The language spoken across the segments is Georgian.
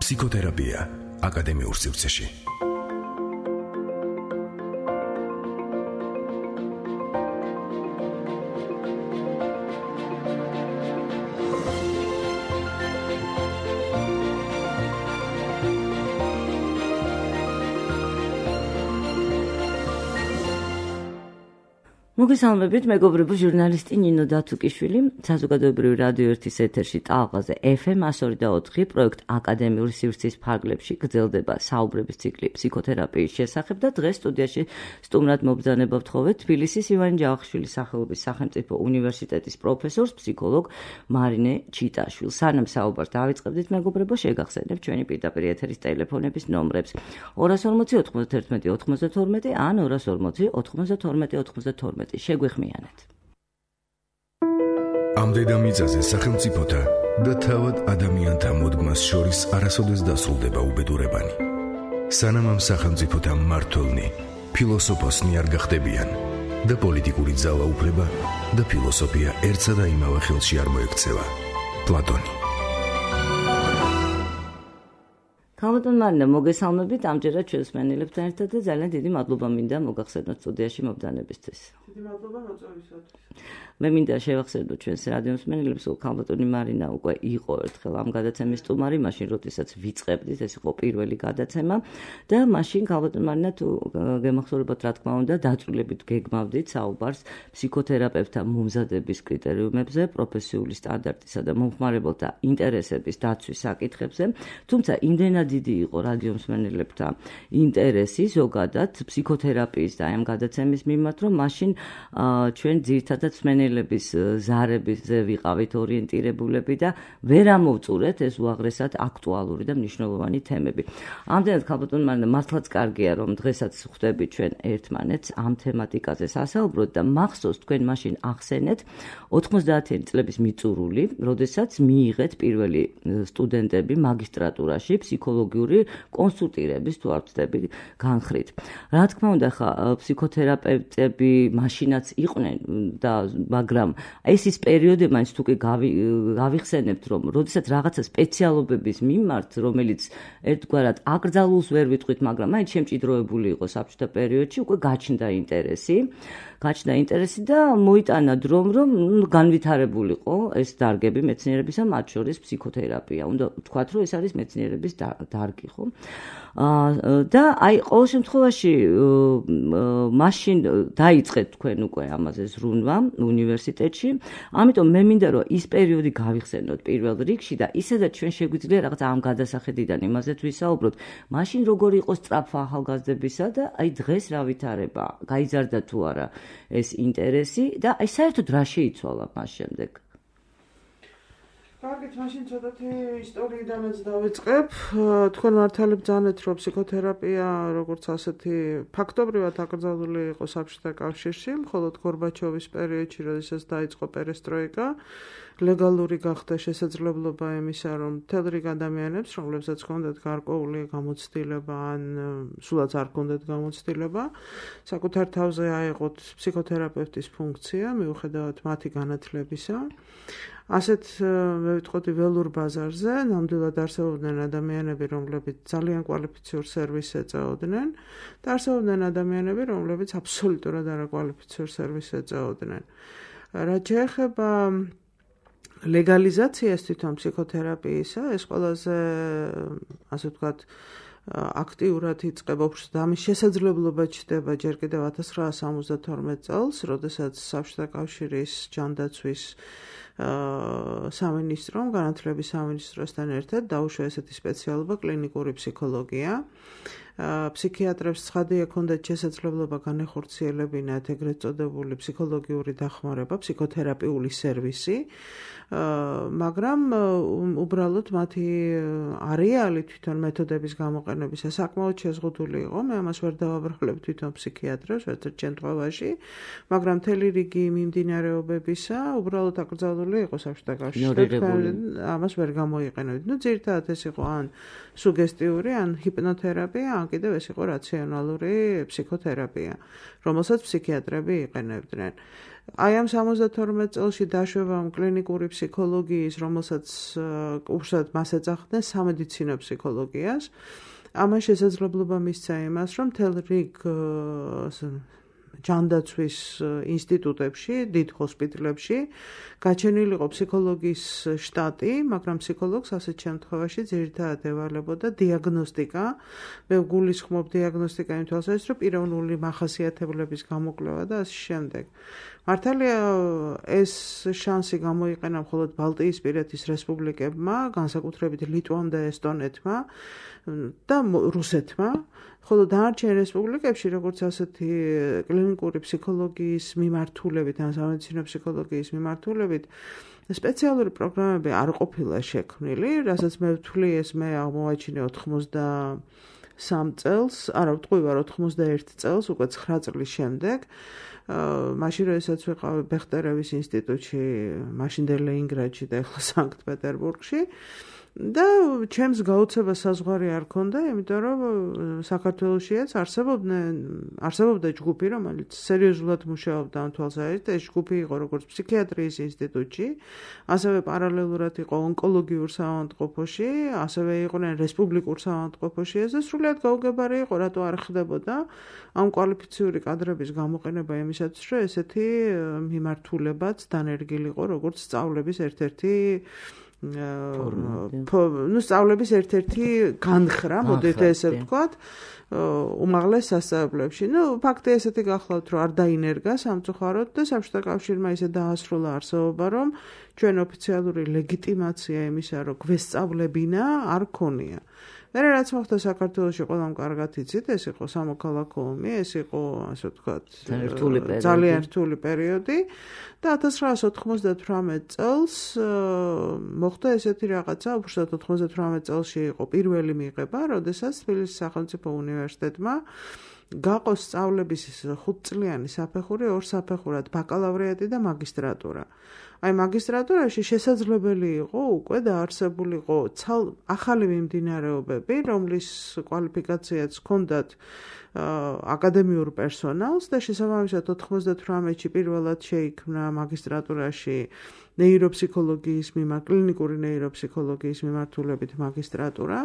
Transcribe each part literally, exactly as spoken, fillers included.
ფსიქოთერაპია აკადემიურ სივრცეში. მოგესალმებით, მეგობრებო, ჟურნალისტი ნინო დათუკიშვილი, საზოგადოებრივი რადიო ერთის ეთერში ტალღაზე ეფ ემ one oh four point four პროექტ აკადემიური სივრცის ფარგლებში გრძელდება საუბრების ციკლი ფსიქოთერაპიის შესახებ და დღეს სტუდიაში სტუმრად მობრძანება ვთხოვეთ თბილისის ივანე ჯავახიშვილის სახელობის სახელმწიფო უნივერსიტეტის პროფესორს, ფსიქოლოგ მარინე ჩიტაშვილს. სანამ საუბარს დავიწყებდით, მეგობრებო, შეგახსენებთ ჩვენი პირდაპირ ეთერის ტელეფონების ნომრებს two forty ninety-one ninety-twelve ან two forty ninety-two ninety-twelve. შეგვეხმიანეთ. ამ დედამიწაზე სახელმწიფოთა და თავად ადამიანთა მოდგმას შორის არასოდეს დასრულდება უბედურებანი. სანამ ამ სახელმწიფოთა მმართველნი ფილოსოფოსნი არ გახდებიან და პოლიტიკური ძალაუფლება და ფილოსოფია ერთსა და იმავე ხელში არ მოექცევა. პლატონი. ქალბატონ მარინა, მოგესალმებით, ამჯერად ჩვენს მსმენელებთან ერთად და ძალიან დიდი მადლობა მინდა მოგახსენოთ სტუდიაში მობრძანებისთვის. დიდი მადლობა მოწვევისათვის. მე მინდა შევახსენოთ ჩვენს რადიო მსმენელებს, რომ ქალბატონი მარინა უკვე იყო ერთხელ ამ გადაცემის სტუმარი, მაშინ როდესაც ვიწყებდით, ეს იყო პირველი გადაცემა და მაშინ ქალბატონ მარინა, თუ გემახსოვრებათ, რა თქმა უნდა, დაწვრილებით გეგმავდით საუბარს ფსიქოთერაპევტთა მომზადების კრიტერიუმებზე, პროფესიული სტანდარტისა და მომხმარებელთა ინტერესების დაცვის საკითხებზე, თუმცა იმდენად დიდი იყო რადიო მსმენელებთა ინტერესი ზოგადად ფსიქოთერაპიის და ამ გადაცემის მიმართ, რომ მაშინ ჩვენ ძირითადად მსმენელების ზარებზე ვიყავით ორიენტირებულები და ვერ ამოვწურეთ ეს უაღრესად აქტუალური და მნიშვნელოვანი თემები. ამდენად ქალბატონ მარინა, მართლაც კარგია, რომ დღესაც ხვდებით ჩვენ ერთმანეთს ამ თემატიკაზე სასაუბროდ და მახსოვს თქვენ მაშინ ახსენეთ ოცდაათი წლების მიწურული, როდესაც მიიღეთ პირველი სტუდენტები მაგისტრატურაში ფსიქოლოგიური კონსულტირების თუ არ ვცდები განხრით. რა თქმა უნდა, ხა ფსიქოთერაპევტები მაშინაც იყვნენ და მაგრამ ეს ის პერიოდი მაინც თუ კი გავიხსენებთ, რომ როდესაც რაღაცა სპეციალობების მიმართ, რომელიც ერთგვარად აკრძალულს ვერ ვიტყვით, მაგრამ მაინც შემჭიდროებული იყო საბჭოთა პერიოდში, უკვე გაჩნდა ინტერესი. გაჩნდა ინტერესი და მოიტანა დრომ, რომ განვითარებულიყო ეს დარგები მეცნიერებისა, მათ შორის ფსიქოთერაპია. უნდა ვთქვათ, რომ ეს არის მეცნიერების დარგი, ხო? და აი ყოველ შემთხვევაში მაშინ დაიწყეთ თქვენ უკვე ამაზე ზრუნვა უნივერსიტეტში. ამიტომ მე მინდა რომ ის პერიოდი გავიხსენოთ პირველ რიგში და ისედაც ჩვენ შეგვიძლია რაღაც ამ გადასახედიდან იმაზე ვისაუბროთ. მაშინ როგორი იყო სწრაფვა ახალგაზრდებისა და აი დღეს რა ვითარება? გაიზარდა თუ არა ეს ინტერესი და აი საერთოდ რა შეიცვალა მას შემდეგ? კარგით, მაშინ ცოტათი ისტორიიდანაც დავიწყებ. თქვენ მართალი ბრძანეთ, რომ ფსიქოთერაპია როგორც ასეთი ფაქტობრივად აკრძალული იყო საბჭოთა კავშირში, მხოლოდ გორბაჩოვის პერიოდში, როდესაც დაიწყო პერესტროიკა, ლეგალური გახდა შესაძლებლობა იმისა, რომ მთელ რიგ ადამიანებს, რომლებსაც ჰქონდათ გარკვეული გამოცდილება ან სულაც არ ჰქონდათ გამოცდილება, საკუთარ თავზე აეღოთ ფსიქოთერაპევტის ფუნქცია, მიუხედავად მათი განათლებისა. ასეთ მე ვიტყოდი ველურ ბაზარზე ნამდვილად არსებობდნენ ადამიანები, რომლებიც ძალიან კვალიფიციურ სერვისს ეწეოდნენ და არსებობდნენ ადამიანები, რომლებიც აბსოლუტურად არაკვალიფიციურ სერვისს ეწეოდნენ. რაც შეეხება ლეგალიზაციას თვითონ ფსიქოთერაპიისა, ეს ყველაზე, ასე ვთქვათ, აქტიურად იწყება, უბრალოდ ამის შესაძლებლობა ჩნდება ჯერ კიდევ one thousand nine hundred seventy-two წელს, როდესაც საბჭოთა კავშირის ჯანდაცვის სამინისტრომ, განათლების სამინისტროსთან ერთად დაუშვა ესეთი სპეციალობა კლინიკური ფსიქოლოგია. ფსიქიატრებს ცხადი ექონდათ შესაძლებლობა განეხორციელებინათ ეგრეთ წოდებული ფსიქოლოგიური დახმარება, ფსიქოთერაპიული სერვისი, მაგრამ უბრალოდ მათი არეალი თვითონ მეთოდების გამოყენებისა საკმაოდ შეზღუდული იყო. მე ამას ვერ დავაბრალებ თვითონ ფსიქიატრებს ერთ-ერთ შემთხვევაში, მაგრამ მთელი რიგი მიმდინარეობებისა უბრალოდ აკრძალული იყო საბჭოთა კავშირში. ამას ვერ გამოიყენებთ. ნუ ძირითადად ეს იყო ან სუგესტიური, ან ჰიპნოთერაპია, ან კიდევ ეს იყო რაციონალური ფსიქოთერაპია, რომელსაც ფსიქიატრები იყენებდნენ. აი ამ სამოცდათორმეტ წელში დაშვება კლინიკური ფსიქოლოგიის, რომელსაც უბრალოდ მას ეძახდნენ სამედიცინო ფსიქოლოგიას. ამან შესაძლებლობა მისცა იმას, რომ მთელ რიგ ჯანდაცვის ინსტიტუტებში, დიდ ჰოსპიტალებში გაჩენილიყო ფსიქოლოგიის შტატი, მაგრამ ფსიქოლოგს ასეთ შემთხვევაში ძირითადად ევალებოდა დიაგნოსტიკა. მე გულისხმობ დიაგნოსტიკა იმ თვალსაზრისით, რომ პიროვნული მახასიათებლების გამოკვლევა და ასე შემდეგ. მართალია ეს შანსი გამოიყენა მხოლოდ ბალტიისპირეთის რესპუბლიკებმა, განსაკუთრებით ლიტვამ და ესტონეთმა და რუსეთმა, ხოლო დანარჩენ რესპუბლიკებში, როგორც ასეთი კლინიკური ფსიქოლოგიის მიმართულებით, ან სამედიცინო ფსიქოლოგიის მიმართულებით, სპეციალური პროგრამები არ ყოფილა შექმნილი, რასაც მე ვთვლი, ეს მე აღმოვაჩინე ოთხმოცდასამ წელს, არა ვტყვი ვარ ოთხმოცდაერთ წელს, უკვე ცხრა წლის შემდეგ. მაშინ როდესაც ვიყავი ბეხტერევის ინსტიტუტში, მაშინდელ ლენინგრადში და ახლა სანქტ-პეტერბურგში და ჩემს გაუცება საზღვარი არ ქონდა, იმიტომ რომ საქართველოშიაც არსებობდნენ, არსებობდა ჯგუფი, რომელიც სერიოზულად მუშაობდა ამ თვალსაზრისით, ეს ჯგუფი იყო როგორც ფსიქიატრიის ინსტიტუტში, ასევე პარალელურად იყო ონკოლოგიურ საავადმყოფოში, ასევე იყვნენ რესპუბლიკურ საავადმყოფოში, ეს სრულიად გაუგებარი იყო, რატო არ ხდებოდა ამ კვალიფიციური კადრების გამოყენება იმისათვის, რომ ესეთი მიმართულებაც დანერგილიყო, როგორც სწავლების ერთ-ერთი ნუ სწავლების ერთ-ერთი განხრა, მოდით ესე ვთქვათ, უმაღლეს სასწავლებლებში. ნუ ფაქტი ესეთი გახლავთ, რომ არ დაინერგა სამწუხაროდ და საბჭოთა კავშირმა ისე დაასრულა არსებობა, რომ ჩვენ ოფიციალური ლეგიტიმაცია იმისა, რომ გვესწავლებინა, არ ქონია. მერე რაც მოხდა საქართველოში, ყველამ კარგად იცით, ეს იყო სამოქალაქო ომი, ეს იყო, ასე ვთქვათ, ძალიან რთული პერიოდი და ათას ცხრაას ოთხმოცდათვრამეტ წელს მოხდა ესეთი რაღაცა, უბრალოდ ოთხმოცდათვრამეტ წელში იყო პირველი მიღება, როდესაც თბილისის სახელმწიფო უნივერსიტეტმა გაყო სწავლების ხუთწლიანი საფეხური ორ საფეხურად, ბაკალავრიატი და მაგისტრატურა. აი მაგისტრატურაში შესაძლებელი იყო უკვე დაარსებულიყო ახალი მიმდინარეობები, რომლის კვალიფიკაციაც ჰქონდათ აკადემიურ პერსონალს და შესაბამისად ოთხმოცდათვრამეტში პირველად შეიქმნა მაგისტრატურაში ნეიროფსიქოლოგიის მიმართ, კლინიკური ნეიროფსიქოლოგიის მიმართულებით მაგისტრატურა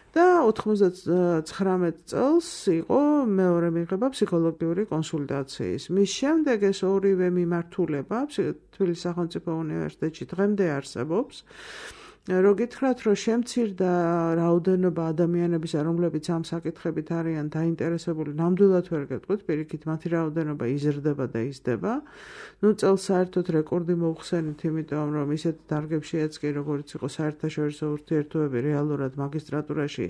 და ოთხმოცდაცხრამეტ წელს იყო მეორე მიღება ფსიქოლოგიური კონსულტაციის. მის შემდეგ ეს ორივე მიმართულება თბილისის სახელმწიფო უნივერსიტეტში დღემდე არსებობს. რო გითხრათ, რომ შემცირდა რაოდენობა ადამიანების, რომლებიც ამ საკითხებით არიან დაინტერესებული, ნამდვილად ვერ გეტყვით, პირიქით მათი რაოდენობა იზრდება და იზრდება. ნუ წელს საერთოდ რეკორდი მოუხსენით, იმიტომ რომ ისეთ დარგებშიაც კი, როგორც იყო საერთაშორისო ურთიერთობები, რეალურად მაგისტრატურაში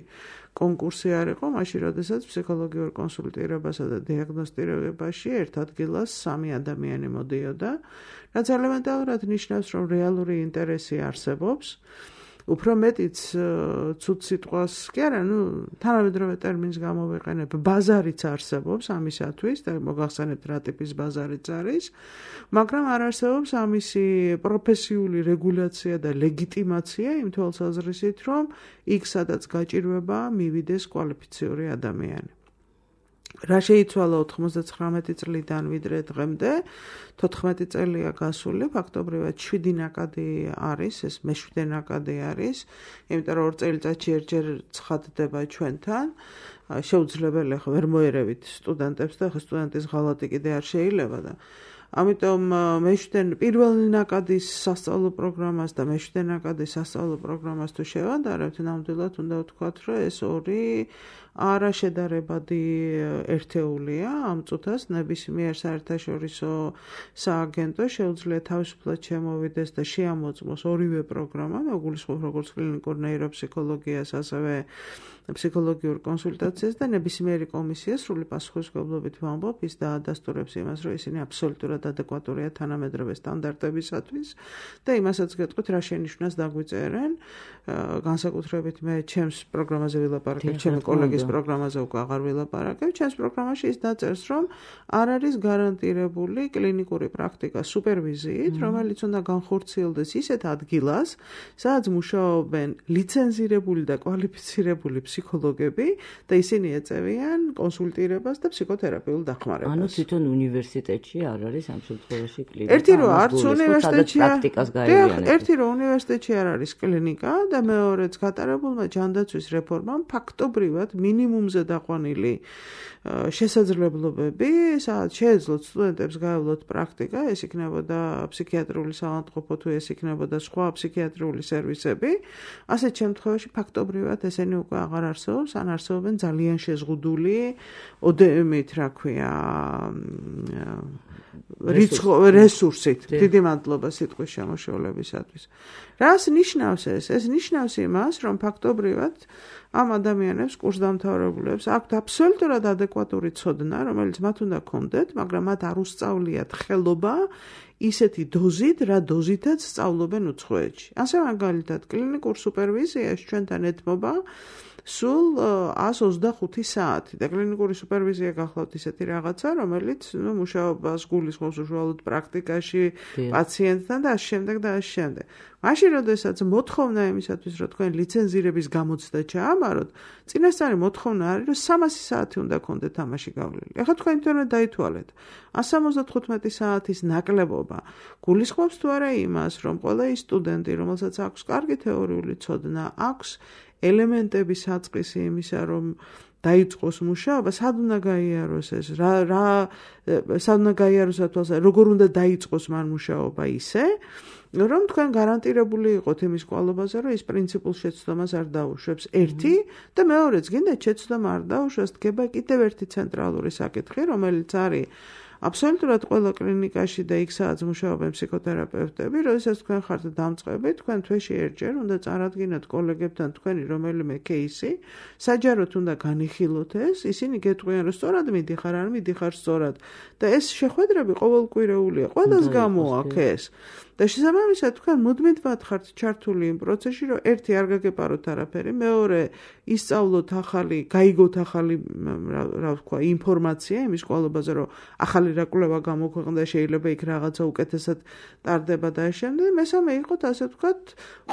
კონკურსი არ იყო, მაშინ როდესაც ფსიქოლოგიურ კონსულტირებასა და დიაგნოსტირებაში ერთ ადგილას სამი ადამიანი მოდიოდა, რაც ელემენტარულად ნიშნავს, რომ რეალური ინტერესი არსებობს. უფრო მეტიც ცუდ სიტყვას კი არა, ნუ თანამედროვე ტერმინს გამოვიყენებ, ბაზარიც არსებობს ამისათვის და მოგახსენებთ რა ტიპის ბაზარიც არის, მაგრამ არ არსებობს ამისი პროფესიული რეგულაცია და ლეგიტიმაცია იმ თვალსაზრისით, რომ იქ სადაც გაჭირვება მივიდეს კვალიფიციური ადამიანი. რა შეიცვალა ოთხმოცდაცხრამეტი წლიდან ვიდრე დღემდე, თოთხმეტი წელია გასული, ფაქტობრივად შვიდი ნაკადი არის, ეს მეშვიდე ნაკადი არის, იმიტომ რომ ორ წელიწადში ერთჯერ ცხადდება ჩვენთან. შეუძლებელი ახლა ვერ მოერევით სტუდენტებს და ახლა სტუდენტის ღალატი კიდე არ შეიძლება და ამიტომ მეშვიდე პირველი ნაკადის სასწავლო პროგრამას და მეშვიდე ნაკადის სასწავლო პროგრამას თუ შევადარებთ, ნამდვილად უნდა ვთქვათ, რომ ეს ორი არაშედარებადი ერთეულია ამ წუთას ნებისმიერ საერთაშორისო სააგენტო შეუძლია თავისუფლად შემოვიდეს და შეამოწმოს ორივე პროგრამა, მეგულისხმობ როგორც კლინიკურ ნეიროფსიქოლოგიას, ასევე ფსიქოლოგიურ კონსულტაციას და ნებისმიერი კომისია სრული პასუხისმგებლობით ვამბობ, ის დაადასტურებს იმას, რომ ისინი აბსოლუტურად ადეკვატურია თანამედროვე სტანდარტებისათვის და იმასაც გეტყვით, რა შენიშვნას დაგვიწერენ, განსაკუთრებით მე ჩემს პროგრამაზე ვილაპარაკებ, ჩემი კოლეგის პროგრამაზე უკვე აღარ ვილაპარაკებ, ჩემს პროგრამაში ის დაწერს, რომ არ არის გარანტირებული კლინიკური პრაქტიკა სუპერვიზიით, რომელიც უნდა განხორციელდეს ისეთ ადგილას, სადაც მუშაობენ ლიცენზირებული და კვალიფიცირებული ფსიქოლოგები და ისინი ეწევიან კონსულტირებას და ფსიქოთერაპიულ დახმარებას. ანუ თვითონ უნივერსიტეტში არ არის ამ შემთხვევაში კლინიკა? ერთი რომ არც უნივერსიტეტში პრაქტიკას გაევლიანებთ. ერთი რომ უნივერსიტეტში არ არის კლინიკა და მეორეც გატარებულმა ჯანდაცვის რეფორმამ ფაქტობრივად მინიმუმზე დაყვანილი შესაძლებლობები, სადაც შეეძლოთ სტუდენტებს გაევლოთ პრაქტიკა, ეს იქნებოდა ფსიქიატრიული საავადმყოფო თუ ეს იქნებოდა სხვა ფსიქიატრიული სერვისები, ასეთ შემთხვევაში ფაქტობრივად ესენი უკვე აღარ არსებობს, ან არსებობენ ძალიან შეზღუდული ოდემით, რა ქვია, რიცხო რესურსით. დიდი მადლობა სიტყვის შემოშორებისათვის. რას ნიშნავს ეს? ეს ნიშნავს იმას, რომ ფაქტობრივად ამ ადამიანებს, კურსდამთავრებულებს აქვთ აბსოლუტურად ადეკვატური ცოდნა, რომელიც მათ უნდა ქონდეთ, მაგრამ მათ არ უსწავლიათ ხელობა ისეთი დოზით, რა დოზითაც სწავლობენ უცხოეთში. ასე მაგალითად, კლინიკურ სუპერვიზიაში ჩვენთან ეთმობა სულ ას ოცდახუთი საათი და კლინიკური სუპერვიზია გახლავთ ისეთი რაღაცა, რომელიც ნუ მუშაობას გულისხმობს უშუალოდ პრაქტიკაში, პაციენტთან და ასე შემდეგ და ასე შემდეგ. მაშინ, როდესაც მოთხოვნა იმისათვის, რომ თქვენ ლიცენზირების გამოცდა ჩაამაროთ, წინასწარი მოთხოვნა არის, რომ სამასი საათი უნდა გქონდეთ თამაში გავლილი. ეხლა თქვენ თვითონ დაითვალეთ. ას სამოცდათხუთმეტი საათის ნაკლებობა გულისხმობს თუ არა იმას, რომ ყველა ის სტუდენტი, რომელსაც აქვს კარგი თეორიული ცოდნა, აქვს ელემენტების საწყისი იმისა, რომ დაიწყოს მუშაობა, სად უნდა გაიაროს ეს, რა რა სად უნდა გაიაროს ათვალსა, როგორ უნდა დაიწყოს მან მუშაობა ისე, რომ თქვენ გარანტირებული იყოთ იმის კვალობაზე, რომ ის პრინციპულ შეცდომას არ დაუშვებს. ერთი და მეორეც, გინდათ შეცდომა არ დაუშვას, დგება კიდევ ერთი ცენტრალური საკითხი, რომელიც არის აბსოლუტურად ყველა კლინიკაში და იქ სადაც მუშაობენ ფსიქოთერაპევტები, როდესაც თქვენ ხართ დამწყები, თქვენ თვეში ერთჯერ უნდა წარადგინოთ კოლეგებთან თქვენი რომელიმე кейსი, საჯაროდ უნდა განიხილოთ ეს, ისინი გეტყვიან, რომ სწორად მიდიხარ, არ მიდიხარ სწორად და ეს შეხვედრები ყოველკვირეულია, ყველას გამოაქვს ეს. და შესაბამისად თქვენ მუდმივად ხართ ჩართული იმ პროცესში, რომ ერთი არ გაგეპაროთ არაფერი, მეორე ისწავლოთ ახალი, გაიგოთ ახალი, რა ვთქვა, ინფორმაცია იმის კვალობაზე, რომ ახალი რა კვლევა გამოქვეყნდა, შეიძლება იქ რაღაცა უკეთესად ტარდება და ამ შემდეგ, მესამე იყოთ, ასე ვთქვათ,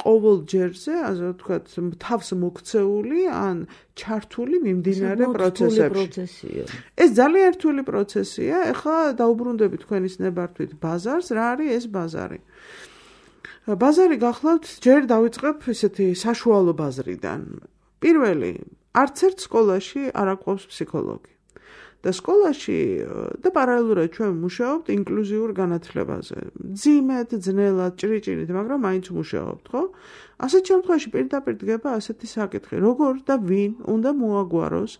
ყოველ ჯერზე, ასე ვთქვათ, თავს მოქცეული ან ჩართული მიმდინარე პროცესებში. ეს ძალიან რთული პროცესია. ეხლა დაუბრუნდებით თქვენის ნებართვით ბაზარს, რა არის ეს ბაზარი? ბაზარი გახლავთ, ჯერ დავიწყებ ესეთი საშუალო ბაზრიდან. პირველი, არც ერთ სკოლაში არ აყვავს ფსიქოლოგი. და სკოლაში და პარალელურად ჩვენ მუშაობთ ინკლუზიურ განათლებაზე. ძიმედ, ძნელად, ჭრიჭირით, მაგრამ მაინც მუშაობთ, ხო? ასეთ შემთხვევაში პირდაპირ დგება ასეთი საკითხი, როგორ და ვინ უნდა მოაგვაროს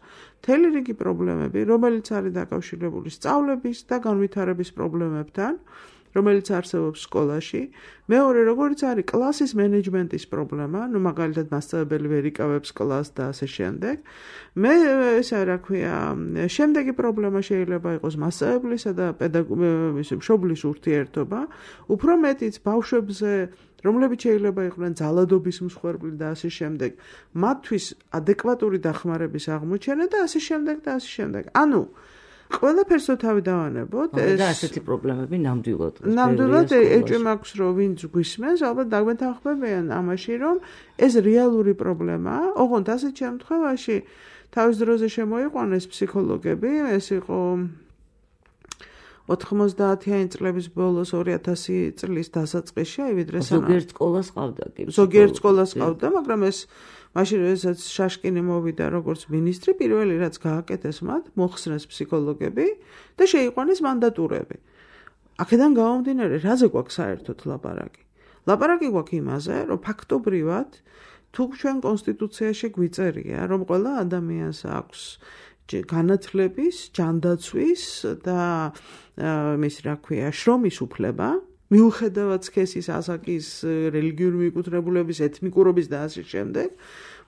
მთელი რიგი პრობლემები, რომელიც არის დაკავშირებული სწავლების და განვითარების პრობლემებთან, რომელიც არსებობს სკოლაში. მეორე, როგორც არის კლასის მენეჯმენტის პრობლემა, ну მაგალითად მასწავლებელი ვერ იკავებს კლასს და ასე შემდეგ. მე ესა რა ქვია, შემდეგი პრობლემა შეიძლება იყოს მასწავლებლისა და პედაგოგის მშობლის ურთიერთობა, უფრო მეტიც ბავშვებზე, რომლებიც შეიძლება იყვნენ ძალადობის მსხვერპლი და ასე შემდეგ, მათთვის ადეკვატური დახმარების აღმოჩენა და ასე შემდეგ და ასე შემდეგ. ანუ ყველაფერს თავი დავანებოთ, ეს და ასეთი პრობლემები ნამდვილად. ნამდვილად ეჭვი მაქვს, რომ ვინც გვისმენს, ალბათ დაგვეთანხმებიან ამაში, რომ ეს რეალური პრობლემაა. ოღონდ ასეთ შემთხვევაში თავის დროზე შემოიყვანეს ფსიქოლოგები, ეს იყო ოთხმოცდაათიანი წლების ბოლოს ორი ათასი წლის დასაწყისში, აი ვიდრე ზოგიერთ სკოლას ყავდა კი. ზოგიერთ სკოლას ყავდა, მაგრამ ეს მაშინ როდესაც შაშკინი მოვიდა როგორც მინისტრი, პირველი რაც გააკეთეს მათ, მოხსნეს ფსიქოლოგები და შეიყვანეს მანდატურები. აქედან გამომდინარე, რაზე გვაქვს საერთოდ ლაპარაკი? ლაპარაკი გვაქვს იმაზე, რომ ფაქტობრივად თუ ჩვენ კონსტიტუციაში გვიწერია, რომ ყველა ადამიანს აქვს განათლების, ჯანდაცვის და მის რა ქვია, შრომის უფლება, მიუხედავად სქესის, ასაკის, რელიგიური მიკუთვნებულების, ეთნიკურობის და ასე შემდეგ,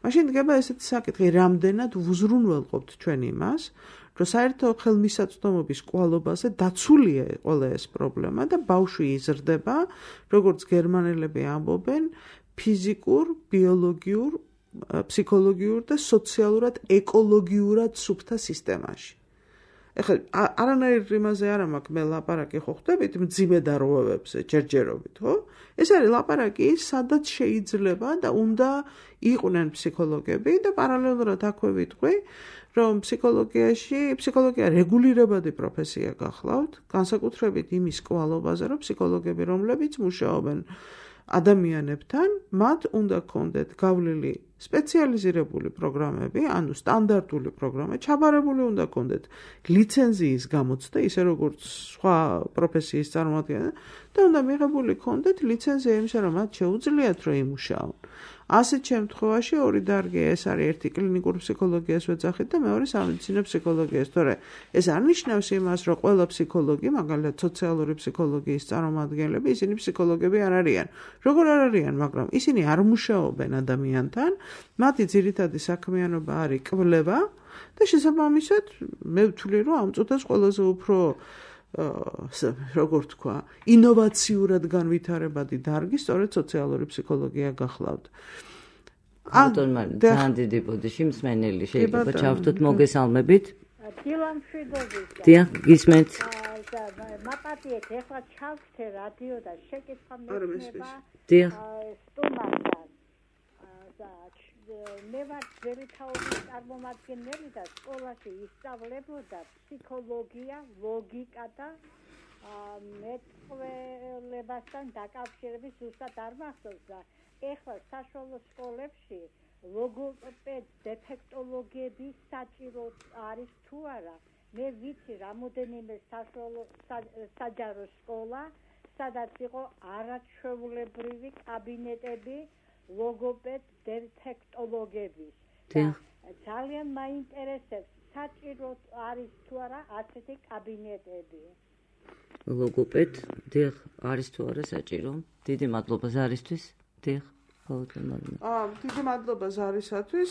მაშინ დგება ესეთი საკითხი, რამდენად ვუზრუნველყოფთ ჩვენ იმას, რომ საერთო ხელმისაწვდომობის კვალობაზე დაცულია ყველა ეს პრობლემა და ბავშვი იზრდება, როგორც გერმანელები ამბობენ, ფიზიკურ, ბიოლოგიურ, ფსიქოლოგიურ და სოციალურად ეკოლოგიურად სუფთა სისტემაში. ეხლა არანაირ იმაზე არ მაქვს მე ლაპარაკი ხო ხდებით მძიმე დარღვევებზე ჯერჯერობით, ხო? ეს არის ლაპარაკი, სადაც შეიძლება და უნდა იყვნენ ფსიქოლოგები და პარალელურად აქვე ვიტყვი, რომ ფსიქოლოგიაში, ფსიქოლოგია რეგულირებადი პროფესია გახლავთ, განსაკუთრებით იმის კვალობაზე, რომ ფსიქოლოგები, რომლებიც მუშაობენ ადამიანებთან, მათ უნდა კონდეთ გავლილი სპეციალიზირებული პროგრამები, ანუ სტანდარტული პროგრამა, ჩაბარებული უნდა კონდეთ ლიცენზიის გამოცდა, ისე როგორც სხვა პროფესიის წარმომადგენლები და უნდა მიღებული კონდეთ ლიცენზია იმისა, რომ მათ შეუძლიათ რომ იმუშაონ. ასეთ შემთხვევაში ორი დარგი ეს არის ერთი კლინიკურ ფსიქოლოგიას ვეძახით და მეორე სამედიცინო ფსიქოლოგიას. თორე ეს არ ნიშნავს იმას, რომ ყველა ფსიქოლოგი, მაგალითად სოციალური ფსიქოლოგიის წარმომადგენლები, ისინი ფსიქოლოგები არ არიან. როგორ არ არიან, მაგრამ ისინი არ მუშაობენ ადამიანთან, მათი ძირითადი საქმიანობა არის კვლევა და შესაბამისად მე ვთვლი, რომ ამ წუთას ყველაზე უფრო როგორ თქვა, ინოვაციურად განვითარებადი დარგი სწორედ სოციალური ფსიქოლოგია გახლავთ. ბატონ მარინა, ძალიან დიდი ბოდიში მსმენელი შეიძლება ჩავთოთ მოგესალმებით. დილამშვიდობისა. დიახ, გისმენთ. მაპატიეთ, ეხლა ჩავხდე რადიო და შეკითხვა მექნება. დიახ. სტუმართან. მე ვარ ძველი თაობის წარმომადგენელი და სკოლაში ისწავლებოდა ფსიქოლოგია, ლოგიკა და მეტყველებასთან დაკავშირების ზუსტად არ მახსოვს და ეხლა საშუალო სკოლებში ლოგოპედ დეფექტოლოგები საჭირო არის თუ არა. მე ვიცი რამოდენიმე საშუალო საჯარო სკოლა, სადაც იყო არაჩვეულებრივი კაბინეტები ლოგოპედ დეფექტოლოგების. ძალიან მაინტერესებს, საჭირო არის თუ არა ასეთი კაბინეტები. ლოგოპედ, დიახ, არის თუ არა საჭირო? დიდი მადლობა ზარისთვის. დიახ, ბატონ მარინა. აა, დიდი მადლობა ზარისათვის.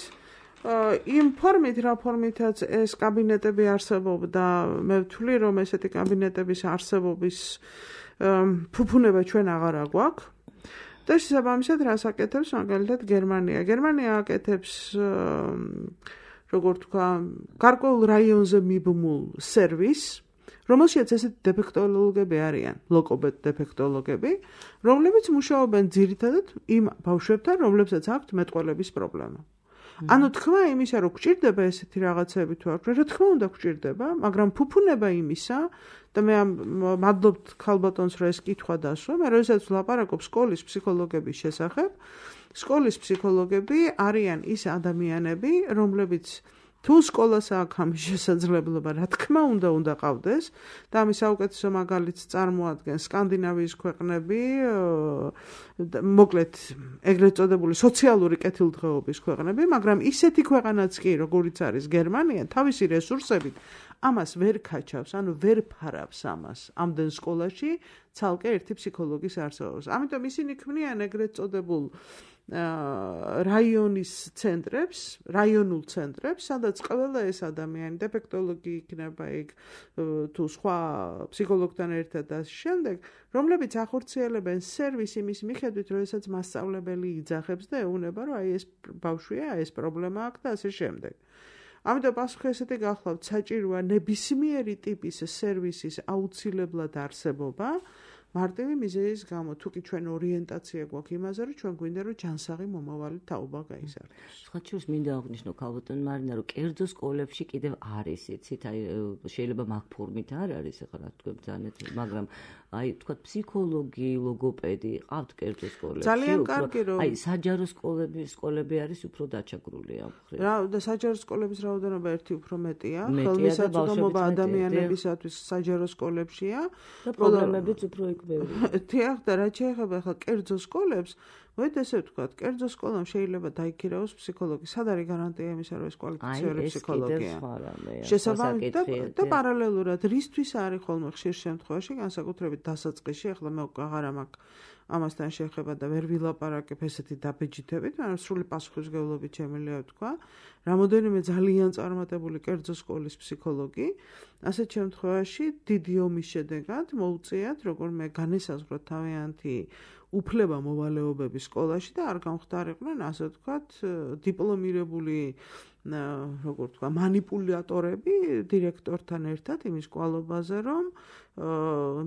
იმ ფორმით, რა ფორმითაც ეს კაბინეტები არსებობდა, მე ვთვლი, რომ ესეთი კაბინეტების არსებობის ფუფუნება ჩვენ აღარ აგვაქვს. და შესაბამისად რას აკეთებს მაგალითად გერმანია. გერმანია აკეთებს როგორ თქვა, გარკვეულ რაიონზე მიბმულ სერვისს, რომელშიც ესეთი დეფექტოლოგები არიან, ლოგოპედ დეფექტოლოგები, რომლებიც მუშაობენ ძირითადად იმ ბავშვებთან, რომლებსაც აქვთ მეტყველების პრობლემა. ანუ თქმა იმისა, რომ გვჭირდება ესეთი რაღაცები თუ არ, რა თქმა უნდა გვჭირდება, მაგრამ ფუფუნება იმისა და მე მადლობთ ქალბატონს, რომ ეს კითხვა დასვა, მე როდესაც ვლაპარაკობ სკოლის ფსიქოლოგების შესახებ, სკოლის ფსიქოლოგები არიან ის ადამიანები, რომლებიც თუ სკოლას აქვს ამის შესაძლებლობა, რა თქმა უნდა, უნდა ყავდეს და ამის საუკეთესო მაგალითს წარმოადგენს სკანდინავიის ქვეყნები, მოკლედ ეგრეთ წოდებული სოციალური კეთილდღეობის ქვეყნები, მაგრამ ისეთი ქვეყანაც კი, როგორიც არის გერმანია, თავისი რესურსებით ამას ვერ ქაჩავს, ანუ ვერ ფარავს ამას ამდენ სკოლაში ცალკე ერთი ფსიქოლოგის არსებობას. ამიტომ ისინი ქმნიან ეგრეთ წოდებულ რაიონის ცენტრებს, რაიონულ ცენტრებს, სადაც ყველა ეს ადამიანი, დეფექტოლოგი იქნება იქ თუ სხვა ფსიქოლოგთან ერთად და შემდეგ, რომლებიც ახორციელებენ სერვისი იმის მიხედვით, როდესაც მასწავლებელი იძახებს და ეუბნება, რომ აი ეს ბავშვია, ეს პრობლემა აქვს და ასე შემდეგ. ამიტომ პასუხი ესეთი გახლავთ, საჭიროა ნებისმიერი ტიპის სერვისის აუცილებლად არსებობა, მარტივი მიზეზის გამო, თუ კი ჩვენ ორიენტაცია გვაქვს იმაზე, რომ ჩვენ გვინდა რომ ჯანსაღი მომავალი თაობა გაიზარდოს. სხვა შორის მინდა აღვნიშნო ქალბატონ მარინა, რომ კერძო სკოლებში კიდევ არის, იცით, აი შეიძლება მაგ ფორმით არ არის, ახლა რა თქვენ ძალიან, მაგრამ აი თქვა ფსიქოლოგი, ლოგოპედი ყავთ კერძო სკოლებში. ძალიან კარგი რომ აი საჯარო სკოლები, სკოლები არის უფრო დაჩაგრული ამ ხრით. რა და საჯარო სკოლების რაოდენობა ერთი უფრო მეტია, ხელმისაწვდომობა ადამიანებისათვის საჯარო სკოლებშია და პროგრამებიც უფრო იქ თიახ და რაც შეეხება ახლა კერძო სკოლებს, მოით ესე ვთქვათ, კერძო სკოლამ შეიძლება დაიქირავოს ფსიქოლოგი. სად არის გარანტია იმისა, რომ ეს კვალიფიციური ფსიქოლოგია? შესაბამისად და პარალელურად რისთვის არის ხოლმე ხშირ შემთხვევაში, განსაკუთრებით დასაწყისში, ახლა მე აღარ მაქვს ამასთან შეხება და ვერ ვილაპარაკებ ესეთი დაბეჯითებით, მაგრამ სრული პასუხისმგებლობით შემიძლია ვთქვა, რამოდენიმე ძალიან წარმატებული კერძო სკოლის ფსიქოლოგი, ასეთ შემთხვევაში დიდი ომის შედეგად მოუწიათ, როგორ მე განესაზღვროთ თავიანთი უფლება მოვალეობების სკოლაში და არ გამხდარიყვნენ, ასე ვთქვათ, დიპლომირებული როგორ თქვა, манипуляტორები დირექტორთან ერთად იმის კვალობაზე, რომ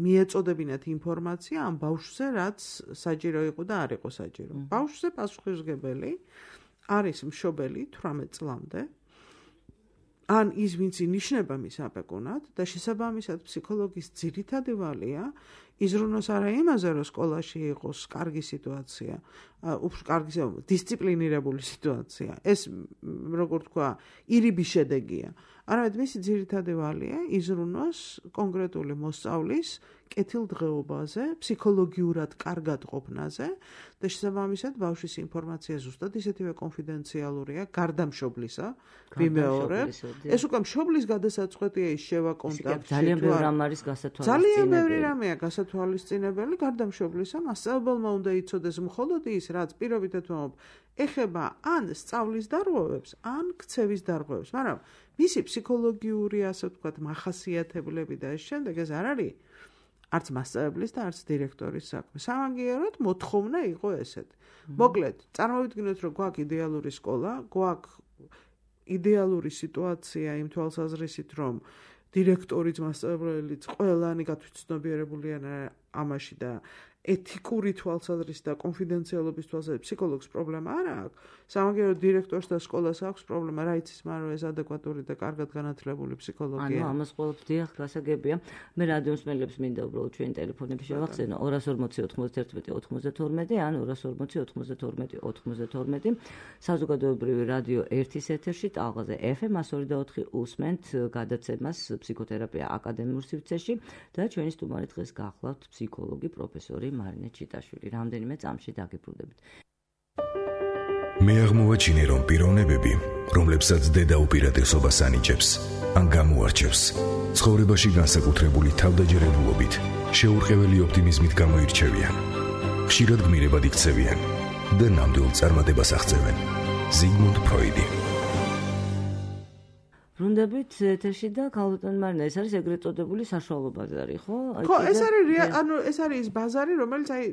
მიეწოდებინათ ინფორმაცია ამ ბავშვზე, რაც საჭირო იყო და არ იყო საჭირო. ბავშვზე პასუხისმგებელი არის მშობელი თვრამეტ წლამდე, ან ის ვინც ინიშნება მის აპეკუნად და შესაბამისად ფსიქოლოგის ძირითადი ვალია იზრუნოს არა იმაზე, რომ სკოლაში იყოს კარგი სიტუაცია, უფრო კარგი დისციპლინირებული სიტუაცია. ეს როგორ თქვა, ირიბი შედეგია. არამედ მისი ძირითადი ვალია იზრუნოს კონკრეტული მოსწავლის კეთილდღეობაზე, ფსიქოლოგიურად კარგად ყოფნაზე და შესაბამისად ბავშვის ინფორმაცია ზუსტად ისეთივე კონფიდენციალურია, გარდა მშობლისა, ვიმეორებ. ეს უკვე მშობლის გადასაწყვეტია ის შევა კონტაქტში. ძალიან ბევრი რამ არის გასათვალისწინებელი. ძალიან ბევრი რამეა გასათვალისწინებელი, გარდა მშობლისა, მასწავლებელმა უნდა იცოდეს მხოლოდ ის, რაც პირობითად ვამბობ, ეხება ან სწავლის დარღვევებს, ან ქცევის დარღვევებს, მაგრამ მისი ფსიქოლოგიური, ასე ვთქვათ, მახასიათებლები და ეს შემდეგ ეს არ არის არც მასწავლებლის და არც დირექტორის საქმე. სამაგიეროდ მოთხოვნა იყო ესეთი. მოკლედ, წარმოვიდგინოთ, რომ გვაქვს იდეალური სკოლა, გვაქვს იდეალური სიტუაცია იმ თვალსაზრისით, რომ დირექტორიც, მასწავლებელიც ყველანი გათვითცნობიერებულიან ამაში და ეთიკური თვალსაზრისით და კონფიდენციალობის თვალსაზრისით ფსიქოლოგს პრობლემა არ აქვს. სამაგიეროდ დირექტორს და სკოლას აქვს პრობლემა, რა იცის მან რომ ეს ადეკვატური და კარგად განათლებული ფსიქოლოგია. ანუ ამას ყოველთვის დიახ, გასაგებია. მე რადიო მსმენელებს მინდა უბრალოდ ჩვენ ტელეფონებში შევახსენო ორას ორმოცი ოთხმოცდაერთმეტი ოთხმოცდათორმეტი ან ორას ორმოცი ოთხმოცდათორმეტი ოთხმოცდათორმეტი. საზოგადოებრივი რადიო ერთის ეთერში ტალღაზე ეფ ემ εκατო ორი და ოთხი უსმენთ გადაცემას ფსიქოთერაპია აკადემიურ სივრცეში და ჩვენი სტუმარი დღეს გახლავთ ფსიქოლოგი პროფესორი მარინე ჩიტაშვილი. რამდენიმე წამში დაგიბრუნდებით. მე აღმოვაჩინე, რომ პიროვნებები, რომლებსაც დედა უპირატესობას ანიჭებს, ან გამოარჩევს, ცხოვრებაში განსაკუთრებული თავდაჯერებულობით, შეურყეველი ოპტიმიზმით გამოირჩევიან. ხშირად გმირებად იქცევიან და ნამდვილ წარმატებას აღწევენ. ზიგმუნდ ფროიდი. ბრუნდებით ეთერში და ქალბატონ მარინა, ეს არის ეგრეთ წოდებული საშუალო ბაზარი, ხო? ხო, ეს არის ანუ ეს არის ის ბაზარი, რომელიც აი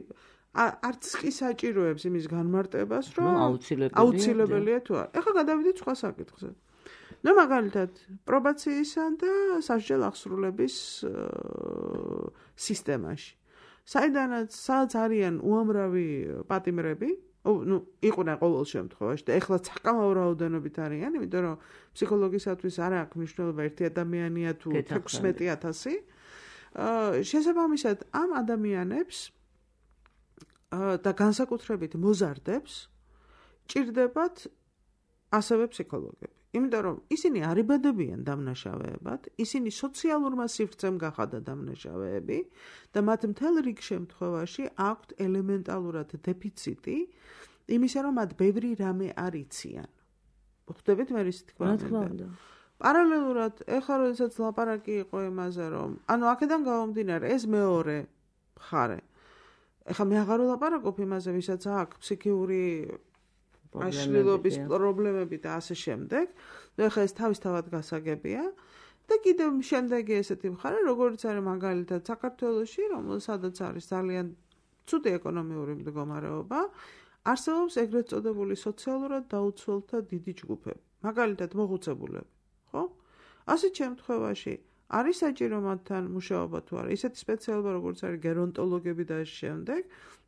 არც კი საჭიროებს იმის განმარტებას, რომ აუცილებელია თუ არა. ეხლა გადავიდეთ სხვა საკითხზე. ნუ მაგალითად, პრობაციისა და სასჯელ აღსრულების სისტემაში. საიდანაც სადაც არიან უამრავი პატიმრები, ну, იყვნენ ყოველ შემთხვევაში და ეხლა საკამაო რაოდენობით არიან, იმიტომ რომ ფსიქოლოგისათვის არ აქვს მნიშვნელობა ერთი ადამიანია თუ ექვსმეტი ათასი. შესაბამისად, ამ ადამიანებს და განსაკუთრებით მოზარდებს ჭირდებათ ასევე ფსიქოლოგები. იმიტომ რომ ისინი არ იბადებიან დამნაშავეებად, ისინი სოციალურმა სივრცემ გახადა დამნაშავეები და მათ მთელ რიგ შემთხვევაში აქვთ ელემენტალურად დეფიციტი იმისა, რომ მათ ბევრი რამე არ იციან. ხვდებით მე ის თქმა უნდა. პარალელურად, ეხლა როდესაც ლაპარაკი იყო იმაზე, რომ ანუ აქედან გამომდინარე, ეს მეორე მხარე. ეხლა მე აღარ ვლაპარაკობ იმაზე, ვისაც აქვს ფსიქიური აშლილობის პრობლემები და ასე შემდეგ. ეხლა ეს თავისთავად გასაგებია და კიდევ შემდეგი ესეთი მხარე, როგორც არის მაგალითად საქართველოში, რომელსაც არის ძალიან ცუდი ეკონომიური მდგომარეობა, არსებობს ეგრეთ წოდებული სოციალურად დაუცველთა დიდი ჯგუფები. მაგალითად მოხუცებულები, ხო? ასეთ შემთხვევაში არის საჭირო მათთან მუშაობა თუ არა, ისეთი სპეციალობა როგორც არის გერონტოლოგები და ამ შემდეგ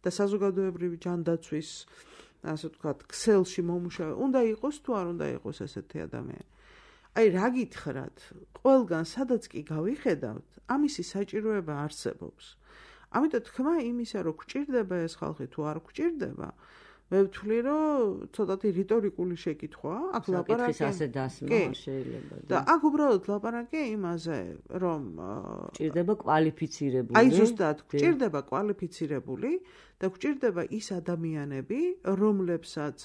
და საზოგადოებრივი ჯანდაცვის ასე ვთქვათ, ქსელში მომუშავე, უნდა იყოს თუ არ უნდა იყოს ესეთი ადამიანი. აი რა გითხრათ, ყველგან სადაც კი გავიხედავთ, ამისი საჭიროება არსებობს. ამიტომ თქმა იმისა, რომ გვჭირდება ეს ხალხი თუ არ გვჭირდება, მე ვთვლი, რომ ცოტათი რიტორიკული შეკითხვაა, აქ ლაპარაკი ასე დასმა შეიძლება. და აქ უბრალოდ ლაპარაკია იმაზე, რომ გვჭირდება კვალიფიცირებული. აი ზუსტად, გვჭირდება კვალიფიცირებული და გვჭირდება ის ადამიანები, რომლებსაც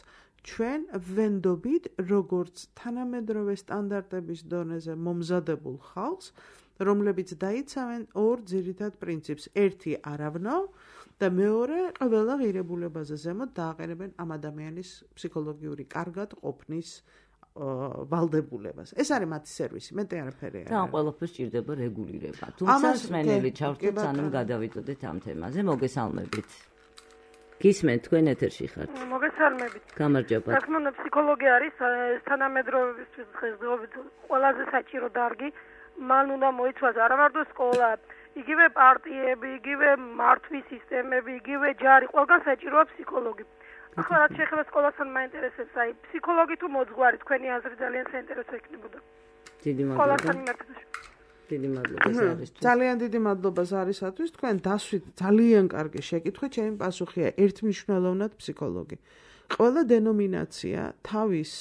ჩვენ ვენდობით, როგორც თანამედროვე სტანდარტების დონეზე მომზადებულ ხალხს, რომლებიც დაიცავენ ორ ძირითად პრინციპს. ერთი არავნო და მეორე ყველა ღირებულებაზე ზემოთ დააყენებენ ამ ადამიანის ფსიქოლოგიური კარგად ყოფნის ვალდებულებას. ეს არის მათი სერვისი, მეტი არაფერი არ არის. და ამ ყველაფერს ჭირდება რეგულირება. თუმცა სმენელი ჩავთვლით, სანამ გადავიდოდეთ ამ თემაზე. მოგესალმებით. გისმენთ თქვენ ეთერში ხართ. მოგესალმებით. გამარჯობა. რა თქმა უნდა, ფსიქოლოგია არის თანამედროვეებისთვის დღესდღეობით ყველაზე საჭირო დარგი. მან უნდა მოიცვას არა მარტო სკოლა, იგივე პარტიები, იგივე მართვის სისტემები, იგივე ჯარი, ყველგან საჭიროა ფსიქოლოგი. ახლა რაც შეეხება სკოლასთან მაინტერესებს, აი ფსიქოლოგი თუ მოძღვარი, თქვენი აზრი ძალიან საინტერესო იქნებოდა. დიდი მადლობა. სკოლასთან მიმართებაში. დიდი მადლობა არისთვის. ძალიან დიდი მადლობა არისათვის. თქვენ დასვით ძალიან კარგი შეკითხვა, ჩემი პასუხია ერთმნიშვნელოვნად ფსიქოლოგი. ყველა დენომინაცია თავის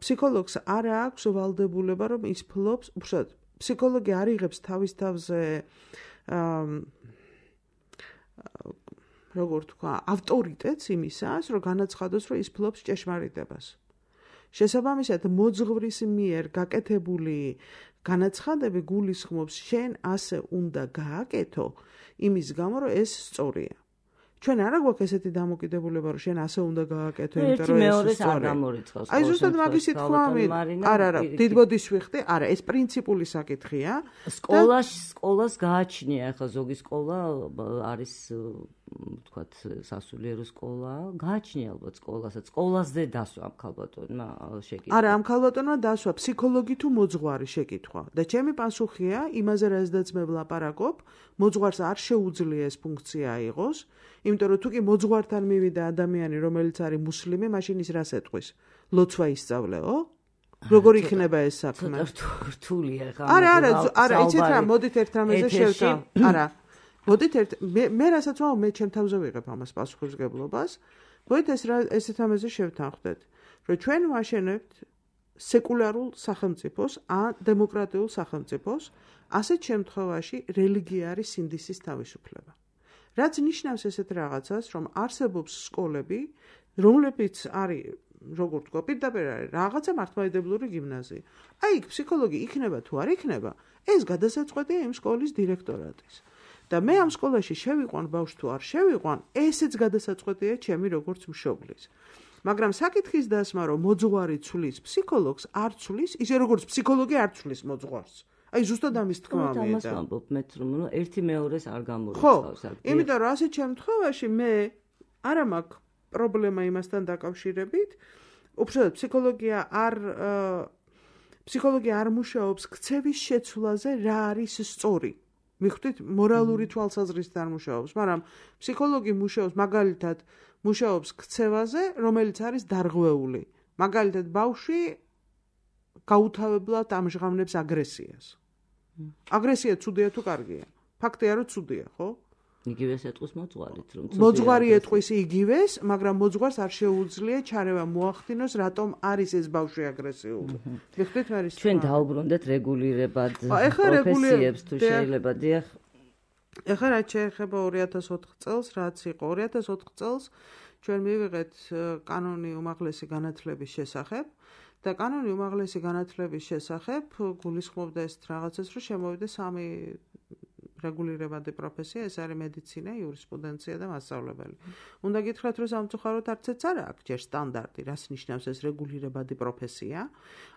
ფსიქოლოგს არ აქვს ვალდებულება, რომ ის ფლობს, უბრალოდ ფსიქოლოგი არ იღებს თავის თავზე როგორ თქვა, ავტორიტეტს იმისას, რომ განაცხადოს, რომ ის ფლობს ჭეშმარიტებას. შესაბამისად, მოძღვრის მიერ გაკეთებული განაცხადები გულისხმობს, შენ ასე უნდა გააკეთო, იმის გამო, რომ ეს სწორია. ჩვენ არა გვაქვს ესეთი დამოკიდებულება, რომ შენ ასე უნდა გააკეთო, იმიტომ რომ ეს სწორია. აი ზუსტად მაგის თქმა მინდა. არა, არა, დიდბოდის ვიხდი, არა, ეს პრინციპული საკითხია. სკოლაში სკოლას გააჩნია, ახლა ზოგი სკოლა არის ვთქვათ, სასულიერო სკოლა, გააჩნია ალბათ სკოლასაც. სკოლაზე დასვა ამ ქალბატონმა შეკითხვა. არა, ამ ქალბატონმა დასვა ფსიქოლოგი თუ მოძღვარი შეკითხვა. და ჩემი პასუხია იმაზე, რაზედაც მე ვლაპარაკობ, მოძღვარს არ შეუძლია ეს ფუნქცია აიღოს, იმიტომ რომ თუ კი მოძღვართან მივიდა ადამიანი, რომელიც არის მუსლიმი, მაშინ ის რას ეტყვის? ლოცვა ისწავლეო? როგორ იქნება ეს საქმე? ცოტა რთულია ხა. არა, არა, არა, იცით რა, მოდით ერთ რამეზე შევთავ. არა. მოდით ერთ მე რასაც ვამბობ, მე ჩემ თავზე ვიღებ ამას პასუხისმგებლობას. მოდით ეს ესეთ რამეზე შევთანხმდეთ, რომ ჩვენ ვაშენებთ სეკულარულ სახელმწიფოს, ან დემოკრატიულ სახელმწიფოს, ასეთ შემთხვევაში რელიგია არის სინდისის თავისუფლება. რაც ნიშნავს ესეთ რაღაცას, რომ არსებობს სკოლები, რომლებიც არის, როგორ თქვა, პირდაპირ არის რაღაცა მართლმადიდებლური გიმნაზია. აი, იქ ფსიქოლოგი იქნება თუ არ იქნება, ეს გადასაწყვეტია იმ სკოლის დირექტორატის. და მე ამ სკოლაში შევიყვან ბავშვს თუ არ შევიყვან, ესეც გადასაწყვეტია ჩემი როგორც მშობლის. მაგრამ საკითხის დასმა, რომ მოძღვარი ცვლის ფსიქოლოგს, არ ცვლის, ისე როგორც ფსიქოლოგი არ ცვლის მოძღვარს. აი ზუსტად ამის თქმა მინდა. ამას ვამბობ მეც, რომ ერთი მეორეს არ გამორიცხავს. ხო, იმიტომ რომ ასეთ შემთხვევაში მე არა მაქვს პრობლემა იმასთან დაკავშირებით. უბრალოდ ფსიქოლოგია არ ფსიქოლოგია არ მუშაობს ქცევის შეცვლაზე, რა არის სწორი. მიხვდით, მორალური თვალსაზრისით არ მუშაობს, მაგრამ ფსიქოლოგი მუშაობს მაგალითად მუშაობს ქცევაზე, რომელიც არის დარღვეული. მაგალითად, ბავშვი გაუთავებლად ამჟღავნებს აგრესიას. აგრესია ცუდია თუ კარგია? ფაქტია, რომ ცუდია, ხო? იგივეს ეტყვის მოძღვარით, რომ მოძღვარი ეტყვის იგივეს, მაგრამ მოძღვარს არ შეუძლია ჩარევა მოახდინოს, რატომ არის ეს ბავშვი აგრესიული. მიხვდით მე ის? ჩვენ დაუბრუნდეთ რეგულირებად პროფესიებს თუ შეიძლება, დიახ. ეხლა რაც შეეხება ორი ათას ოთხ წელს, რაც იყო ორი ათას ოთხ წელს, ჩვენ მივიღეთ კანონი უმაღლესი განათლების შესახებ და კანონი უმაღლესი განათლების შესახებ გულისხმობდა ეს რაღაცას, რომ შემოვიდა სამი რეგულირებადი პროფესია, ეს არის მედიცინა, იურისპრუდენცია და მასწავლებელი. უნდა გითხრათ, რომ სამწუხაროდ არცეც არ აქვს ჯერ სტანდარტი, რას ნიშნავს ეს რეგულირებადი პროფესია.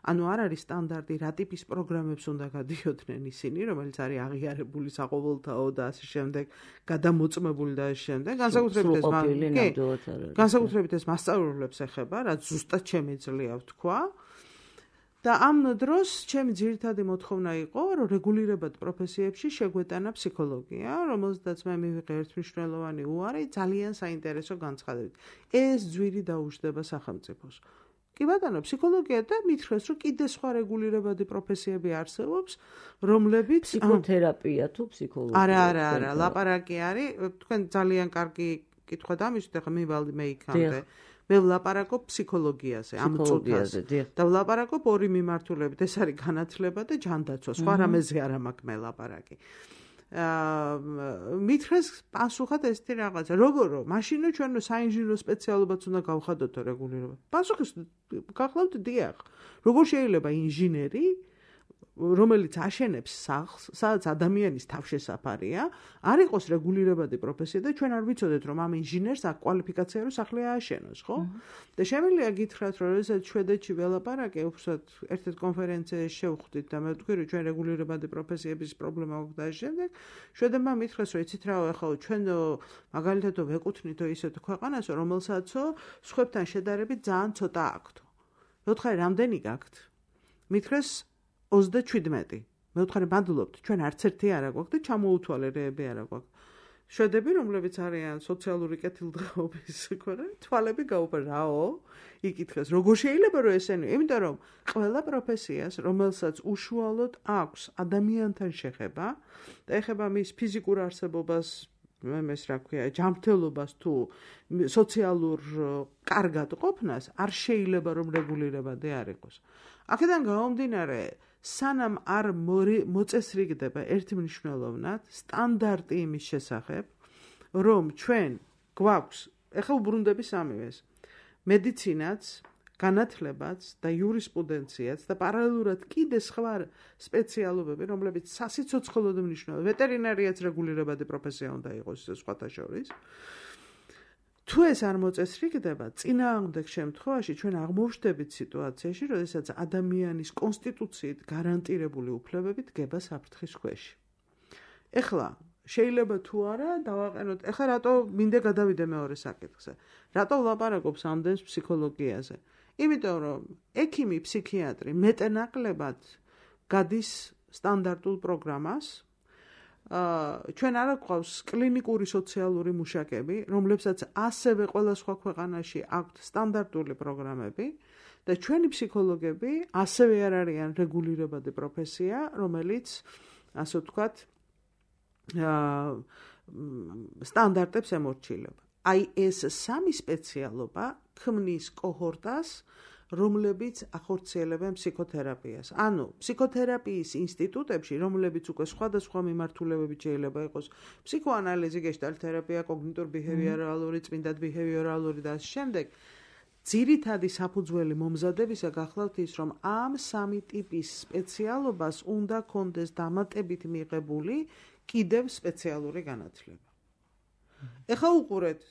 ანუ არ არის სტანდარტი, რა ტიპის პროგრამებს უნდა გადიოდნენ ისინი, რომელიც არის აღიარებული საყოველთაო და ასე შემდეგ, გადამოწმებული და ასე შემდეგ. განსაკუთრებით ეს განსაკუთრებით ეს მასწავლებლებს ეხება, რაც ზუსტად შემიძლია ვთქვა. და ამ დროს ჩემი ძირითადი მოთხოვნა იყო, რომ რეგულირებად პროფესიებში შეგვეტანა ფსიქოლოგია, რომელზედაც მე მივიღე ერთმნიშვნელოვანი უარი ძალიან საინტერესო განცხადებით. ეს ძვირი დაუждდება სახელმწიფოს. კი ბატონო, ფსიქოლოგია და მითხრეს, რომ კიდე სხვა რეგულირებადი პროფესიები არსებობს, რომლებიც ფსიქოთერაპია თუ ფსიქოლოგია. არა, არა, არა, ლაპარაკი არის, თქვენ ძალიან კარგი კითხვა დამისვით, ახლა მივალდი მე იქამდე. მე ვლაპარაკობ ფსიქოლოგიაზე, ამ წუთაზე და ვლაპარაკობ ორი მიმართულებით, ეს არის განათლება და ჯანდაცვა, სხვა რამეზე არ მაქვს მე ლაპარაკი. აა მითხრეს პასუხად ესეთი რაღაცა, როგორო, მაშინ ჩვენ საინჟინრო სპეციალობაც უნდა გავხადოთ რეგულირება. პასუხი გახლავთ დიახ. როგორ შეიძლება ინჟინერი რომელიც აშენებს სახლს, სადაც ადამიანის თავშესაფარია, არ იყოს რეგულირებადი პროფესია და ჩვენ არ ვიცოდეთ, რომ ამ ინჟინერს აქ კვალიფიკაცია რო სახლი ააშენოს, ხო? და შემიძლია გითხრათ, რომ როდესაც შვედეთში ველაპარაკე, უბრალოდ ერთ-ერთ კონფერენციაში შევხვდით და მე ვთქვი, რომ ჩვენ რეგულირებადი პროფესიების პრობლემა გვაქვს და შემდეგ შვედებმა მითხრეს, რომ იცით რა, ეხლა ჩვენ მაგალითად ვეკუთვნითო ისეთ ქვეყანას, რომელსაცო სხვებთან შედარებით ძალიან ცოტა აქვთ. მე ვთხარი, რამდენი გაქვთ? მითხრეს ოცდაშვიდმეტი. მე ვთხარი, მადლობთ, ჩვენ არც ერთი არ აგვაქვს და ჩამოუთვალე რეები არ აგვაქვს. შვედები, რომლებიც არიან სოციალური კეთილდღეობის ქვეყანა, თვალები გაუპა რაო? იკითხეს, როგორ შეიძლება რომ ესენი? იმიტომ რომ ყველა პროფესიას, რომელსაც უშუალოდ აქვს ადამიანთან შეხება და ეხება მის ფიზიკურ არსებობას, მემეს რა ქვია, ჯანმრთელობას თუ სოციალურ კარგად ყოფნას, არ შეიძლება რომ რეგულირებადი არ იყოს. აქედან გამომდინარე, სანამ არ მოწესრიგდება ერთმნიშვნელოვნად სტანდარტი იმის შესახებ, რომ ჩვენ გვაქვს, ეხლა უბრუნდები სამივეს, მედიცინაც, განათლებაც და იურისპრუდენციაც და პარალელურად კიდე სხვა სპეციალობები, რომლებიც სასიცოცხლოდ მნიშვნელოვანია, ვეტერინარიაც რეგულირებადი პროფესია უნდა იყოს სხვათა შორის. თუ ეს არ მოწესრიგდება, წინააღმდეგ შემთხვევაში ჩვენ აღმოვჩნდებით სიტუაციაში, როდესაც ადამიანის კონსტიტუციით გარანტირებული უფლებები დგება საფრთხის ქვეშ. ეხლა შეიძლება თუ არა დავაყენოთ, ეხლა რატო მინდა გადავიდე მეორე საკითხზე. რატო ვლაპარაკობს ამდენს ფსიქოლოგიაზე? იმიტომ რომ ექიმი, ფსიქიატრი მეტნაკლებად გადის სტანდარტულ პროგრამას. ჩვენ არ გვყავს კლინიკური სოციალური მუშაკები, რომლებსაც ასევე ყველა სხვა ქვეყანაში აქვთ სტანდარტული პროგრამები და ჩვენი ფსიქოლოგები ასევე არ არიან რეგულირებადი პროფესია, რომელიც ასე ვთქვათ სტანდარტებს ემორჩილება. აი ეს სამი სპეციალობა ქმნის კოჰორტას, რომლებიც ახორციელებენ ფსიქოთერაპიას. ანუ ფსიქოთერაპიის ინსტიტუტებში, რომლებიც უკვე სხვადასხვა მიმართულებებით შეიძლება იყოს ფსიქოანალიზი, გეშტალტ-თერაპია, კოგნიტურ-ბიჰევიორალური, წმინდად ბიჰევიორალური და ამ შემდეგ, ძირითადი საფუძველი მომზადებისა გახლავთ ის, რომ ამ სამი ტიპის სპეციალობას უნდა კონდეს დამატებით მიღებული კიდევ სპეციალური განათლება. ეხლა უყურეთ,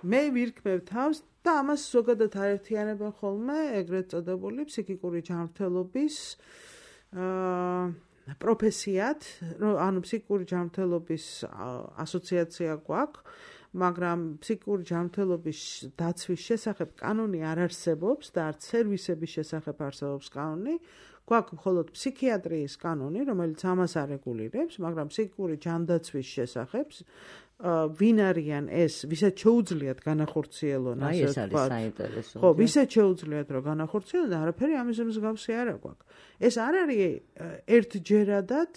მე ვირქმევ თავს და ამას ზოგადად აერთიანებენ ხოლმე ეგრეთ წოდებული ფსიქიკური ჯანმრთელობის პროფესიად, ანუ ფსიქიკური ჯანმრთელობის ასოციაცია გვაქვს, მაგრამ ფსიქიკური ჯანმრთელობის დაცვის შესახებ კანონი არ არსებობს და არც სერვისების შესახებ არსებობს კანონი. გვაქვს მხოლოდ ფსიქიატრიის კანონი, რომელიც ამას არეგულირებს, მაგრამ ფსიქიკური ჯანდაცვის შესახებ ვინ არიან ეს, ვისაც შეუძლიათ განახორციელონ, ასე ვთქვათ. აი ეს არის საინტერესო. ხო, ვისაც შეუძლიათ რომ განახორციელონ და არაფერი ამის მსგავსი არ აქვს. ეს არ არის ერთჯერადად,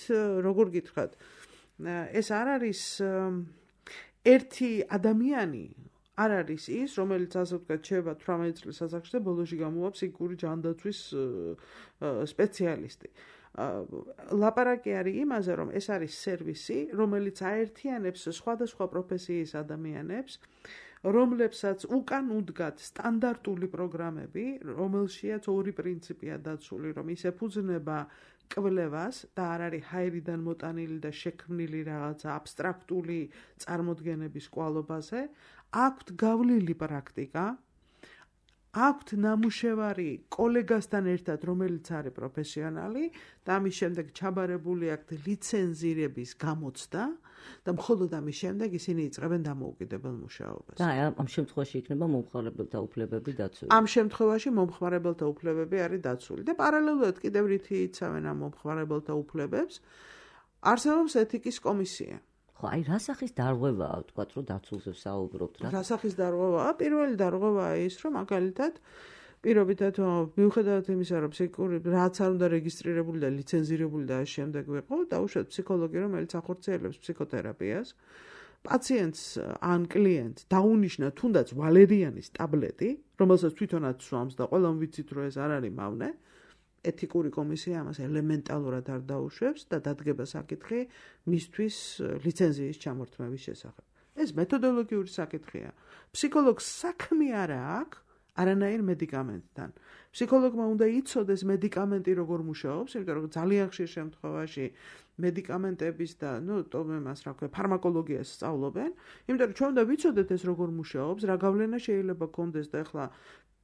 როგორ გითხრათ, ეს არ არის ერთი ადამიანი არ არის ის, რომელიც ასე ვთქვათ, შეება თვრამეტი წლის ასაკში და ბოლოში გამოვა ფსიქიკური ჯანდაცვის სპეციალისტი. ლაპარაკი არის იმაზე, რომ ეს არის სერვისი, რომელიც აერთიანებს სხვადასხვა პროფესიის ადამიანებს, რომლებსაც უკან უდგათ სტანდარტული პროგრამები, რომელშიაც ორი პრინციპია დაცული, რომ ის ეფუძნება კვლევას და არ არის ჰაერიდან მოტანილი და შექმნილი რაღაცა აბსტრაქტული წარმოდგენების კვალობაზე, აქვთ გავლილი პრაქტიკა, აქვთ ნამუშევარი კოლეგასთან ერთად, რომელიც არის პროფესიონალი და ამის შემდეგ ჩაბარებული აქვთ ლიცენზირების გამოცდა და მხოლოდ ამის შემდეგ ისინი იწყებენ დამოუკიდებელ მუშაობას. და ამ შემთხვევაში იქნება მომხმარებელთა უფლებები დაცული. ამ შემთხვევაში მომხმარებელთა უფლებები არის დაცული და პარალელურად კიდევ რითი იცავენ ამ მომხმარებელთა უფლებებს, არსებობს ეთიკის კომისია. ხო, აი რა სახის დარღვევაა, ვთქვათ, რომ დაცულზე ვსაუბრობთ რა? რა სახის დარღვევაა? პირველი დარღვევაა ის, რომ მაგალითად პირობითად მიუხედავად იმისა, რომ ფსიქიკური რაც არ უნდა რეგისტრირებული და ლიცენზირებული და ამ შემდეგ ვიყო, დაუშვათ ფსიქოლოგი, რომელიც ახორციელებს ფსიქოთერაპიას, პაციენტს ან კლიენტს დაუნიშნა თუნდაც ვალერიანის ტაბლეტი, რომელსაც თვითონაც სვამს და ყველამ ვიცით, რომ ეს არ არის მავნე. ეთიკური კომისია ამას ელემენტალურად არ დაუშვებს და დადგება საკითხი მისთვის ლიცენზიის ჩამორთმევის შესახებ. ეს მეთოდოლოგიური საკითხია. ფსიქოლოგს საქმე არა აქვს არანაირ მედიკამენტთან. ფსიქოლოგმა უნდა იცოდეს მედიკამენტი როგორ მუშაობს, იმიტომ რომ ძალიან ხშირ შემთხვევაში მედიკამენტების და, ну, ტომემას, რა ქვია, ფარმაკოლოგიას სწავლობენ, იმიტომ რომ ჩვენ უნდა ვიცოდეთ ეს როგორ მუშაობს, რა გავლენა შეიძლება გქონდეს და ახლა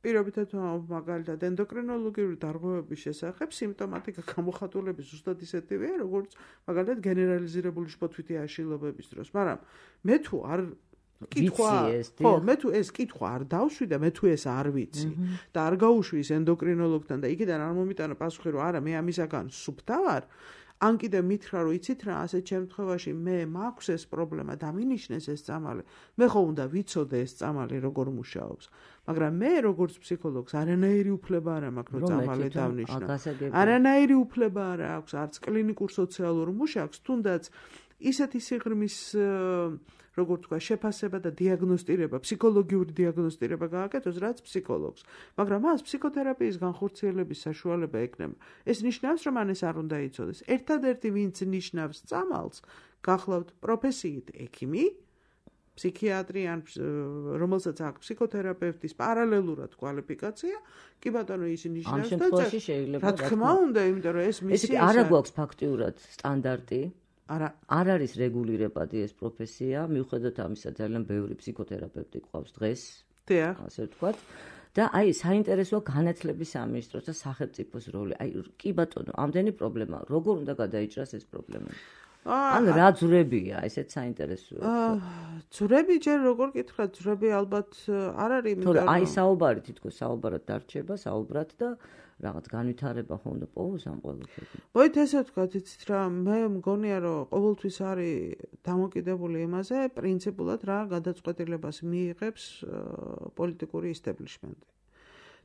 პირობითად მაგალითად ენდოკრინოლოგიური დარღვევების შესახებ სიმპტომატიკა გამოხატულების ზუსტად ისეთივეა, როგორც მაგალითად გენერალიზირებული შფოთვითი აშლილობების დროს, მაგრამ მე თუ არ კითხვა, ხო, მე თუ ეს კითხვა არ დავშვი და მე თუ ეს არ ვიცი და არ გავუშვი ის ენდოკრინოლოგთან და იქიდან არ მომიტანა პასუხი, რომ არა, მე ამისაგან სუფთა ვარ, ან კიდე მითხრა, რომ იცით რა, ასეთ შემთხვევაში მე მაქვს ეს პრობლემა, დამინიშნეს ეს წამალი, მე ხო უნდა ვიცოდე ეს წამალი როგორ მუშაობს. მაგრამ მე როგორც ფსიქოლოგს არანაირი უფლება არ მაქვს, რომ წამალი დავნიშნო. არანაირი უფლება არ აქვს არც კლინიკურ სოციალურ მუშაკს, თუნდაც ისეთი სიღრმის როგორ თქვა, შეფასება და დიაგნოსტირება, ფსიქოლოგიური დიაგნოსტირება გააკეთოს, რაც ფსიქოლოგს. მაგრამ მას ფსიქოთერაპიის განხორციელების საშუალება ექნება. ეს ნიშნავს, რომ მან ეს არ უნდა იცოდეს. ერთადერთი, ვინც ნიშნავს წამალს, გახლავთ პროფესიით ექიმი, ფსიქიატრი ან რომელსაც აქვს ფსიქოთერაპევტის პარალელურად კვალიფიკაცია, კი ბატონო, ის ნიშნავს და რა თქმა უნდა, იმიტომ რომ ეს მისი ეს არა გვაქვს ფაქტიურად სტანდარტი. არა არ არის რეგულირებადი ეს პროფესია, მიუხედავად ამისა ძალიან ბევრი ფსიქოთერაპევტი ყავს დღეს, დიახ, ასე ვთქვათ. და აი საინტერესოა განათლების სამინისტროს და სახელმწიფოს როლი. აი კი ბატონო, ამდენი პრობლემა, როგორ უნდა გადაიჭრას ეს პრობლემა? ან რა ძვრებია, ესეც საინტერესოა. ძვრები ჯერ როგორ გითხრათ, ძვრები ალბათ არ არის, იმიტომ რომ აი საუბარი თითქოს საუბარად დარჩება, საუბრად და რაღაც განვითარება ხო უნდა პოვოს ამ ყველაფერში. მოით ესე ვთქვათ, იცით რა, მე მგონია რომ ყოველთვის არის დამოკიდებული იმაზე, პრინციპულად რა გადაწყვეტილებას მიიღებს პოლიტიკური ისტაბლიშმენტი.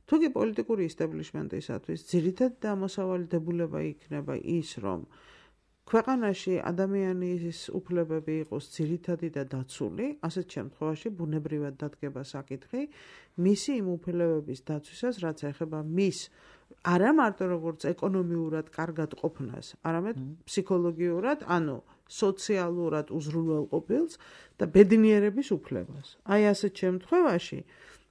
თუ კი პოლიტიკური ისტაბლიშმენტისათვის ძირითადი დამოსავალი დებულება იქნება ის, რომ ქვეყანაში ადამიანის უფლებები იყოს ძირითადი და დაცული, ასეთ შემთხვევაში ბუნებრივად დადგება საკითხი მისი იმ უფლებების დაცვისას, რაც ეხება მის არა მარტო როგორც ეკონომიურად კარგად ყოფნას, არამედ ფსიქოლოგიურად, ანუ სოციალურად უზრუნველყოფილს და ბედნიერების უფლებას. აი ასეთ შემთხვევაში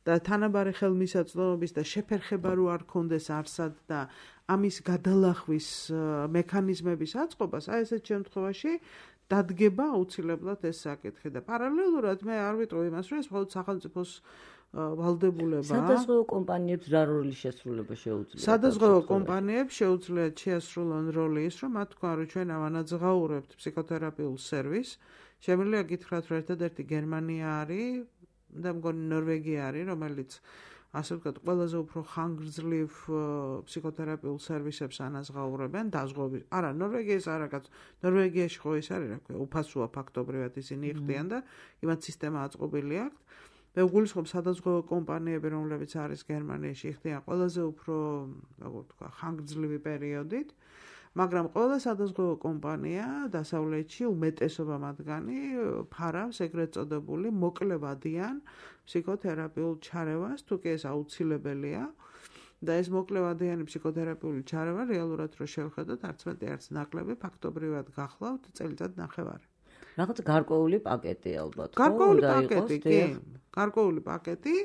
და თანაბარი ხელმისაწვდომობის და შეფერხება რო არ ქონდეს არსად და ამის გადალახვის მექანიზმების აწყობას, აი ესეთ შემთხვევაში დადგება აუცილებლად ეს საკითხი და პარალელურად მე არ ვიტყვი იმას, რომ ეს მხოლოდ სახელმწიფოს ვალდებულება. სადაზღვევო კომპანიებს რა როლი შესრულება შეუძლიათ? სადაზღვევო კომპანიებს შეუძლიათ შეასრულონ როლი ის, რომ მათ თქვა, რომ ჩვენ ავანაძღაურებთ ფსიქოთერაპიულ სერვისს. შემიძლია გითხრათ, რომ ერთადერთი გერმანია არის და მგონი ნორვეგია არის, რომელიც ასე ვთქვათ, ყველაზე უფრო ხანგრძლივ ფსიქოთერაპიულ სერვისებს ანაზღაურებენ დაზღვევით. არა, ნორვეგიის არა, ნორვეგიაში ხო ის არის, რა ქვია, უფასოა ფაქტობრივად ისინი იხდიან და იმათ სისტემა აწყობილი აქვთ. მე ვგულისხმობ სადაზღვევო კომპანიები, რომლებიც არის გერმანიაში, იხდიან ყველაზე უფრო, როგორ ვთქვა, ხანგრძლივი პერიოდით. მაგრამ ყველა სადაზღვევო კომპანია დასავლეთში უმეტესობა მათგანი ფარავს ეგრეთ წოდებული მოკლევადიან ფსიქოთერაპიულ ჩარევას, თუ კი ეს აუცილებელია და ეს მოკლევადიანი ფსიქოთერაპიული ჩარევა რეალურად რო შევხედოთ, არც მეტი არც ნაკლები ფაქტობრივად გახლავთ წელიწად ნახევარი. რაღაც გარკვეული პაკეტი ალბათ. გარკვეული პაკეტი, კი. გარკვეული პაკეტი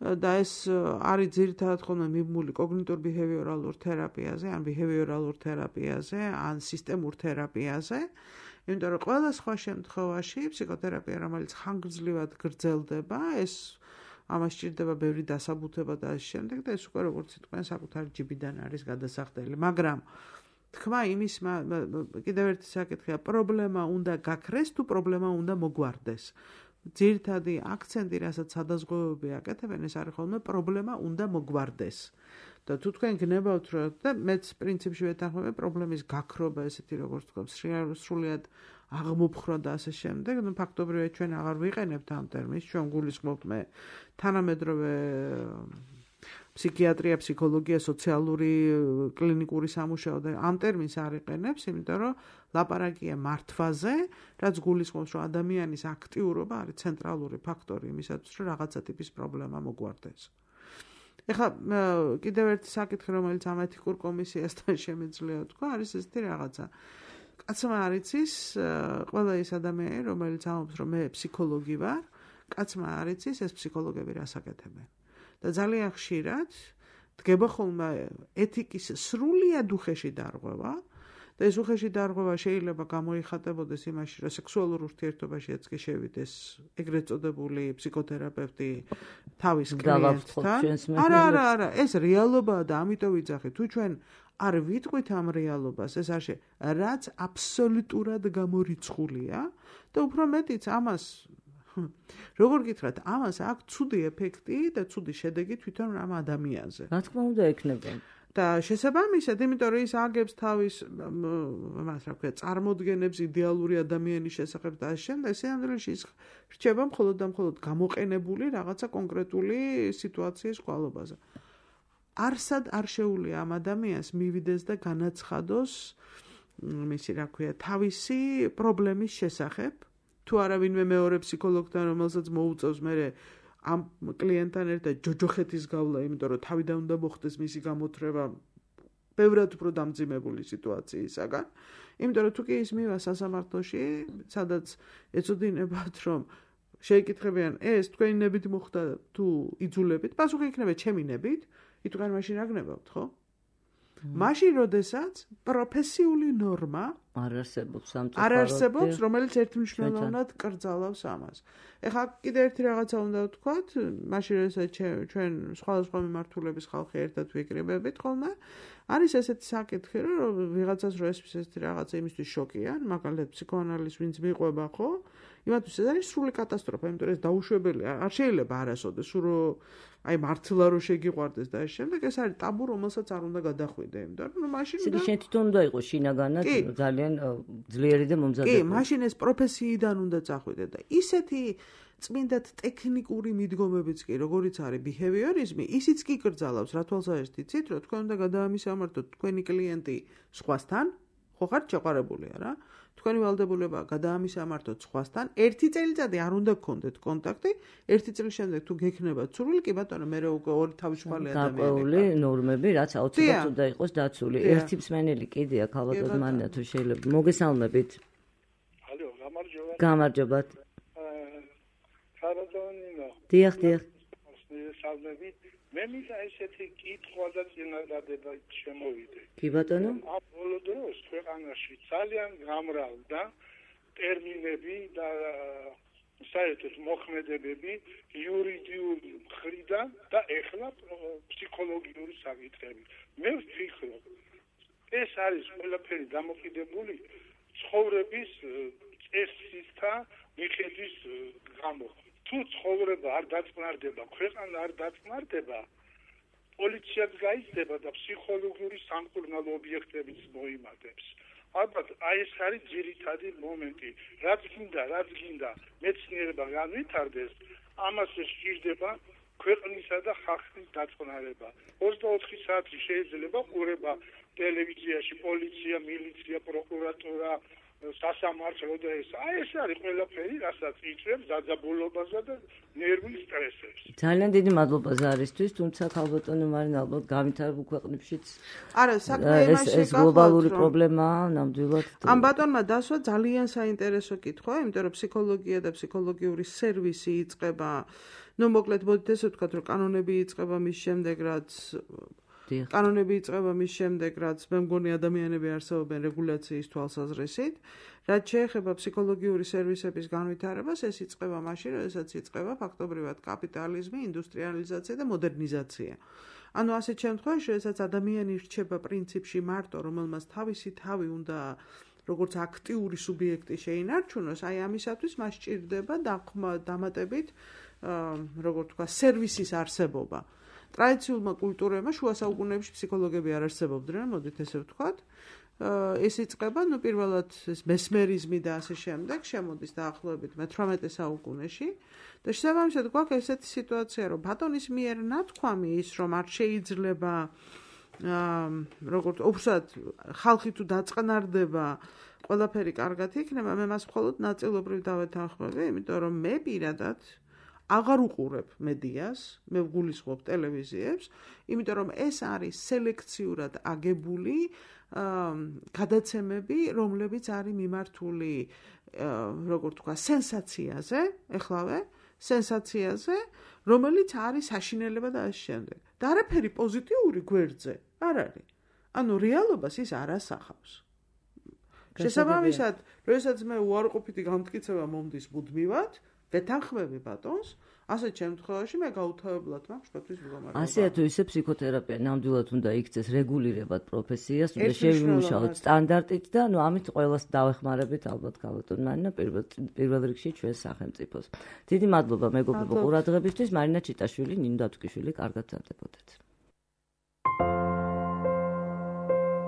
და ეს არის ძირითადად ხოლმე მიმული კოგნიტურ-ბიჰევიორალურ თერაპიაზე, ან ბიჰევიორალურ თერაპიაზე, ან სისტემურ თერაპიაზე. იმიტომ რომ ყველა სხვა შემთხვევაში ფსიქოთერაპია, რომელიც ხანგრძლივად გრძელდება, ეს ამას სჭირდება ბევრი დასაბუთება და ამ შემდეგ და ეს უკვე როგორც თქვენ საკუთარი ჯიბიდან არის გადასახდელი. მაგრამ თქვა იმის კიდევ ერთი საკითხია, პრობლემა უნდა გაქრეს თუ პრობლემა უნდა მოგვარდეს. ძირითადი აქცენტი, რასაც სადაზღვევოები აკეთებენ, ეს არის ხოლმე პრობლემა უნდა მოგვარდეს. და თუ თქვენ გნებავთ, რომ და მეც პრინციპში ვეთანხმები პრობლემის გაქრობა, ესეთი როგორც თქვა, სრულიად აღმოფხრა და ასე შემდეგ, ნუ ფაქტობრივად ჩვენ აღარ ვიყენებთ ამ ტერმინს, ჩვენ გულისხმობთ მე თანამედროვე ფსიქიატრია, ფსიქოლოგია, სოციალური კლინიკური სამუშაო და ამ ტერმინს არ იყენებს, იმიტომ რომ ლაპარაკია მართვაზე, რაც გულისხმობს, რომ ადამიანის აქტიურობა არის ცენტრალური ფაქტორი იმისათვის, რომ რაღაცა ტიპის პრობლემა მოგვარდეს. ეხლა კიდევ ერთი საკითხი, რომელიც ამ ეთიკურ კომისიასთან შემიძლია თქვა, არის ესეთი რაღაცა. კაცმა არ იცის, ყველა ის ადამიანი, რომელიც ამბობს, რომ მე ფსიქოლოგი ვარ, კაცმა არ იცის, ეს ფსიქოლოგები რას აკეთებენ. და ძალიან ხშირად დგება ხოლმე ეთიკის სრულიად უხეში დარღვევა და ეს უხეში დარღვევა შეიძლება გამოიხატებოდეს იმაში, რომ სექსუალურ ურთიერთობაშიც კი შევიდეს ეგრეთ წოდებული ფსიქოთერაპევტი თავის კლიენტთან. არა, არა, არა, ეს რეალობაა და ამიტომ ვიძახი, თუ ჩვენ არ ვიტყვით ამ რეალობას, ეს არ შე, რაც აბსოლუტურად გამორიცხულია და უფრო მეტიც ამას როგორ გითხრათ, ამას აქვს ცუდი ეფექტი და ცუდი შედეგი თვითონ ამ ადამიანზე. რა თქმა უნდა ექნება. და შესაბამისად, იმიტომ რომ ის აგებს თავის მას რა ქვია, წარმოდგენებს იდეალური ადამიანის შესახებ და ამ შემდეგ სინამდვილეში ის რჩება მხოლოდ და მხოლოდ გამოყენებული რაღაცა კონკრეტული სიტუაციის ყვალობაზე. არსად არ შეუძლია ამ ადამიანს მივიდეს და განაცხადოს მისი რა ქვია, თავისი პრობლემის შესახებ, თუ არა ვინმე მეორე ფსიქოლოგთან, რომელსაც მოუწევს მერე ამ კლიენტთან ერთად ჯოჯოხეთის გავლა, იმიტომ რომ თავიდან უნდა მოხდეს მისი გამოთრევა ბევრად უფრო დამძიმებული სიტუაციისაგან. იმიტომ რომ თუ კი ის მივა სასამართლოში, სადაც ეცოდინებათ, რომ შეიკითხებიან, ეს თქვენი ნებით მოხდა თუ იძულებით, პასუხი იქნება ჩემი ნებით, იტყვიან მაშინ რა გნებავთ, ხო? მაშინ, როდესაც პროფესიული ნორმა არ არსებობს ამ არ არსებობს, რომელიც ერთმნიშვნელოვნად კრძალავს ამას. ეხლა კიდე ერთი რაღაცა უნდა ვთქვათ, მაშინ როდესაც ჩვენ სხვადასხვა მიმართულების ხალხი ერთად ვიკრიბებით ხოლმე, არის ესეთი საკითხი, რომ ვიღაცას რო ეს ესეთი რაღაცა იმისთვის შოკია, მაგალითად ფსიქოანალიზს ვინც მიყვება, ხო? იმათთვის ეს არის სრული კატასტროფა, იმიტომ რომ ეს დაუშვებელია, არ შეიძლება არასოდეს, რო აი მართლა რო შეგიყვარდეს და ეს შემდეგ ეს არის ტაბუ, რომელსაც არ უნდა გადახვიდე, იმიტომ რომ მაშინ და შენ თვითონ უნდა იყოს შინაგანად ძალიან ძლიერი და მომზადებული. კი, მაშინ ეს პროფესიიდან უნდა წახვიდე და ისეთი წმინდად ტექნიკური მიდგომებიც კი, როგორიც არის ბიჰევიორიზმი, ისიც კი კრძალავს, რა თვალსაჩინოდ იცით, რომ თქვენ უნდა გადაამისამართოთ თქვენი კლიენტი სხვასთან, ხო ხართ შეყვარებული არა? თქვენი ვალდებულება გადაამისამართოთ სხვასთან, ერთი წელიწადი არ უნდა გქონდეთ კონტაქტი, ერთი წლის შემდეგ თუ გექნებათ სურვილი, კი ბატონო, მე რო ორი თავისუფალი ადამიანი. გაყოლი ნორმები, რაც აუცილებლად უნდა იყოს დაცული. ერთი მსმენელი კიდე აქ ალბათ მანდა თუ შეიძლება. მოგესალმებით. ალო, გამარჯობა. გამარჯობათ. ხარადონინო. დიახ, დიახ. მოსნიესალმებით. მე მინდა ესეთი კითხვა და წინადადება შემოვიდე. კი ბატონო. ამ ბოლო დროს ქვეყანაში ძალიან გამრავლდა ტერმინები და საერთოდ მოქმედებები იურიდიული მხრიდან და ეხლა ფსიქოლოგიური საკითხები. მე ვფიქრობ, ეს არის ყველაფერი დამოკიდებული ცხოვრების წესისთა მიხედვის გამო. თუ ცხოვრება არ დაწნარდება, ქვეყანა არ დაწნარდება, პოლიციაც გაიზრდება და ფსიქოლოგიური სამკურნალო ობიექტებიც მოიმატებს. ალბათ აი ეს არის ძირითადი მომენტი. რაც გინდა, რაც გინდა მეცნიერება განვითარდეს, ამას სჭირდება ქვეყნისა და ხალხის დაწყნარება. ოცდაოთხი საათი შეიძლება ყურება ტელევიზიაში პოლიცია, მილიცია, პროკურატურა, სასამართლო და ეს. აი ეს არის ყველაფერი, რასაც იწვევს დაძაბულობასა და ნერვულ სტრესებს. ძალიან დიდი მადლობა ზარისთვის, თუმცა ქალბატონო მარინა ალბათ განვითარებულ ქვეყნებშიც არა, საქმე იმაში ეს გლობალური პრობლემაა ნამდვილად. ამ ბატონმა დასვა ძალიან საინტერესო კითხვა, იმიტომ რომ ფსიქოლოგია და ფსიქოლოგიური სერვისი იწყება, ну, მოკლედ მოდით ესე ვთქვათ, რომ კანონები იწყება მის შემდეგ, რაც კანონები იწყება მის შემდეგ, რაც მე მგონი ადამიანები არსებობენ რეგულაციის თვალსაზრისით, რაც შეეხება ფსიქოლოგიური სერვისების განვითარებას, ეს იწყება მაშინ, როდესაც იწყება ფაქტობრივად კაპიტალიზმი, ინდუსტრიალიზაცია და მოდერნიზაცია. ანუ ასეთ შემთხვევაში, როდესაც ადამიანი რჩება პრინციპში მარტო, რომელმაც თავისი თავი უნდა როგორც აქტიური სუბიექტი შეინარჩუნოს, აი ამისათვის მას სჭირდება დამატებით, როგორ თქვა, სერვისის არსებობა. ტრადიციულმა კულტურებმა შუა საუკუნეებში ფსიქოლოგები არ არსებობდნენ, მოდით ესე ვთქვათ. ეს იწყება, ну, პირველად ეს მესმერიზმი და ასე შემდეგ, შემოდის დაახლოებით მეთვრამეტე საუკუნეში და შესაბამისად გვაქვს ესეთი სიტუაცია, რომ ბატონის მიერ ნათქვამი ის, რომ არ შეიძლება როგორც უბრალოდ ხალხი თუ დაწყნარდება, ყველაფერი კარგად იქნება, მე მას მხოლოდ ნაწილობრივ დავეთანხმები, იმიტომ რომ მე პირადად აღარ უყურებ მედიას, მე ვგულისხმობ ტელევიზიებს, იმიტომ რომ ეს არის სელექციურად აგებული გადაცემები, რომლებიც არის მიმართული, როგორ თქვა, სენსაციაზე, ეხლავე, სენსაციაზე, რომელიც არის საშინელება და ასე შემდეგ. და არაფერი პოზიტიური გვერდზე არ არის. ანუ რეალობას ის არ ასახავს. შესაბამისად, როდესაც მე უარყოფითი გამტკიცება მომდის მუდმივად, ვეთანხმები ბატონს, ასეთ შემთხვევაში მე გაუთავებლად მაქვს შფოთვის მდგომარეობა. ასე თუ ისე ფსიქოთერაპია ნამდვილად უნდა იქცეს რეგულირებად პროფესიას, უნდა შევიმუშაოთ სტანდარტით და ნუ ამით ყველას დავეხმარებით ალბათ ქალბატონ მარინა პირველ პირველ რიგში ჩვენ სახელმწიფოს. დიდი მადლობა მეგობრებო ყურადღებისთვის. მარინა ჩიტაშვილი, ნინო დათვკიშვილი, კარგად ვსწრებოდეთ.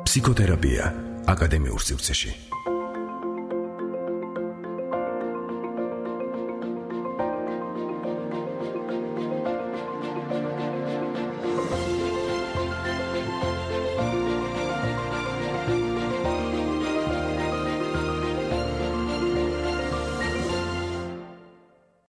ფსიქოთერაპია აკადემიურ სივრცეში.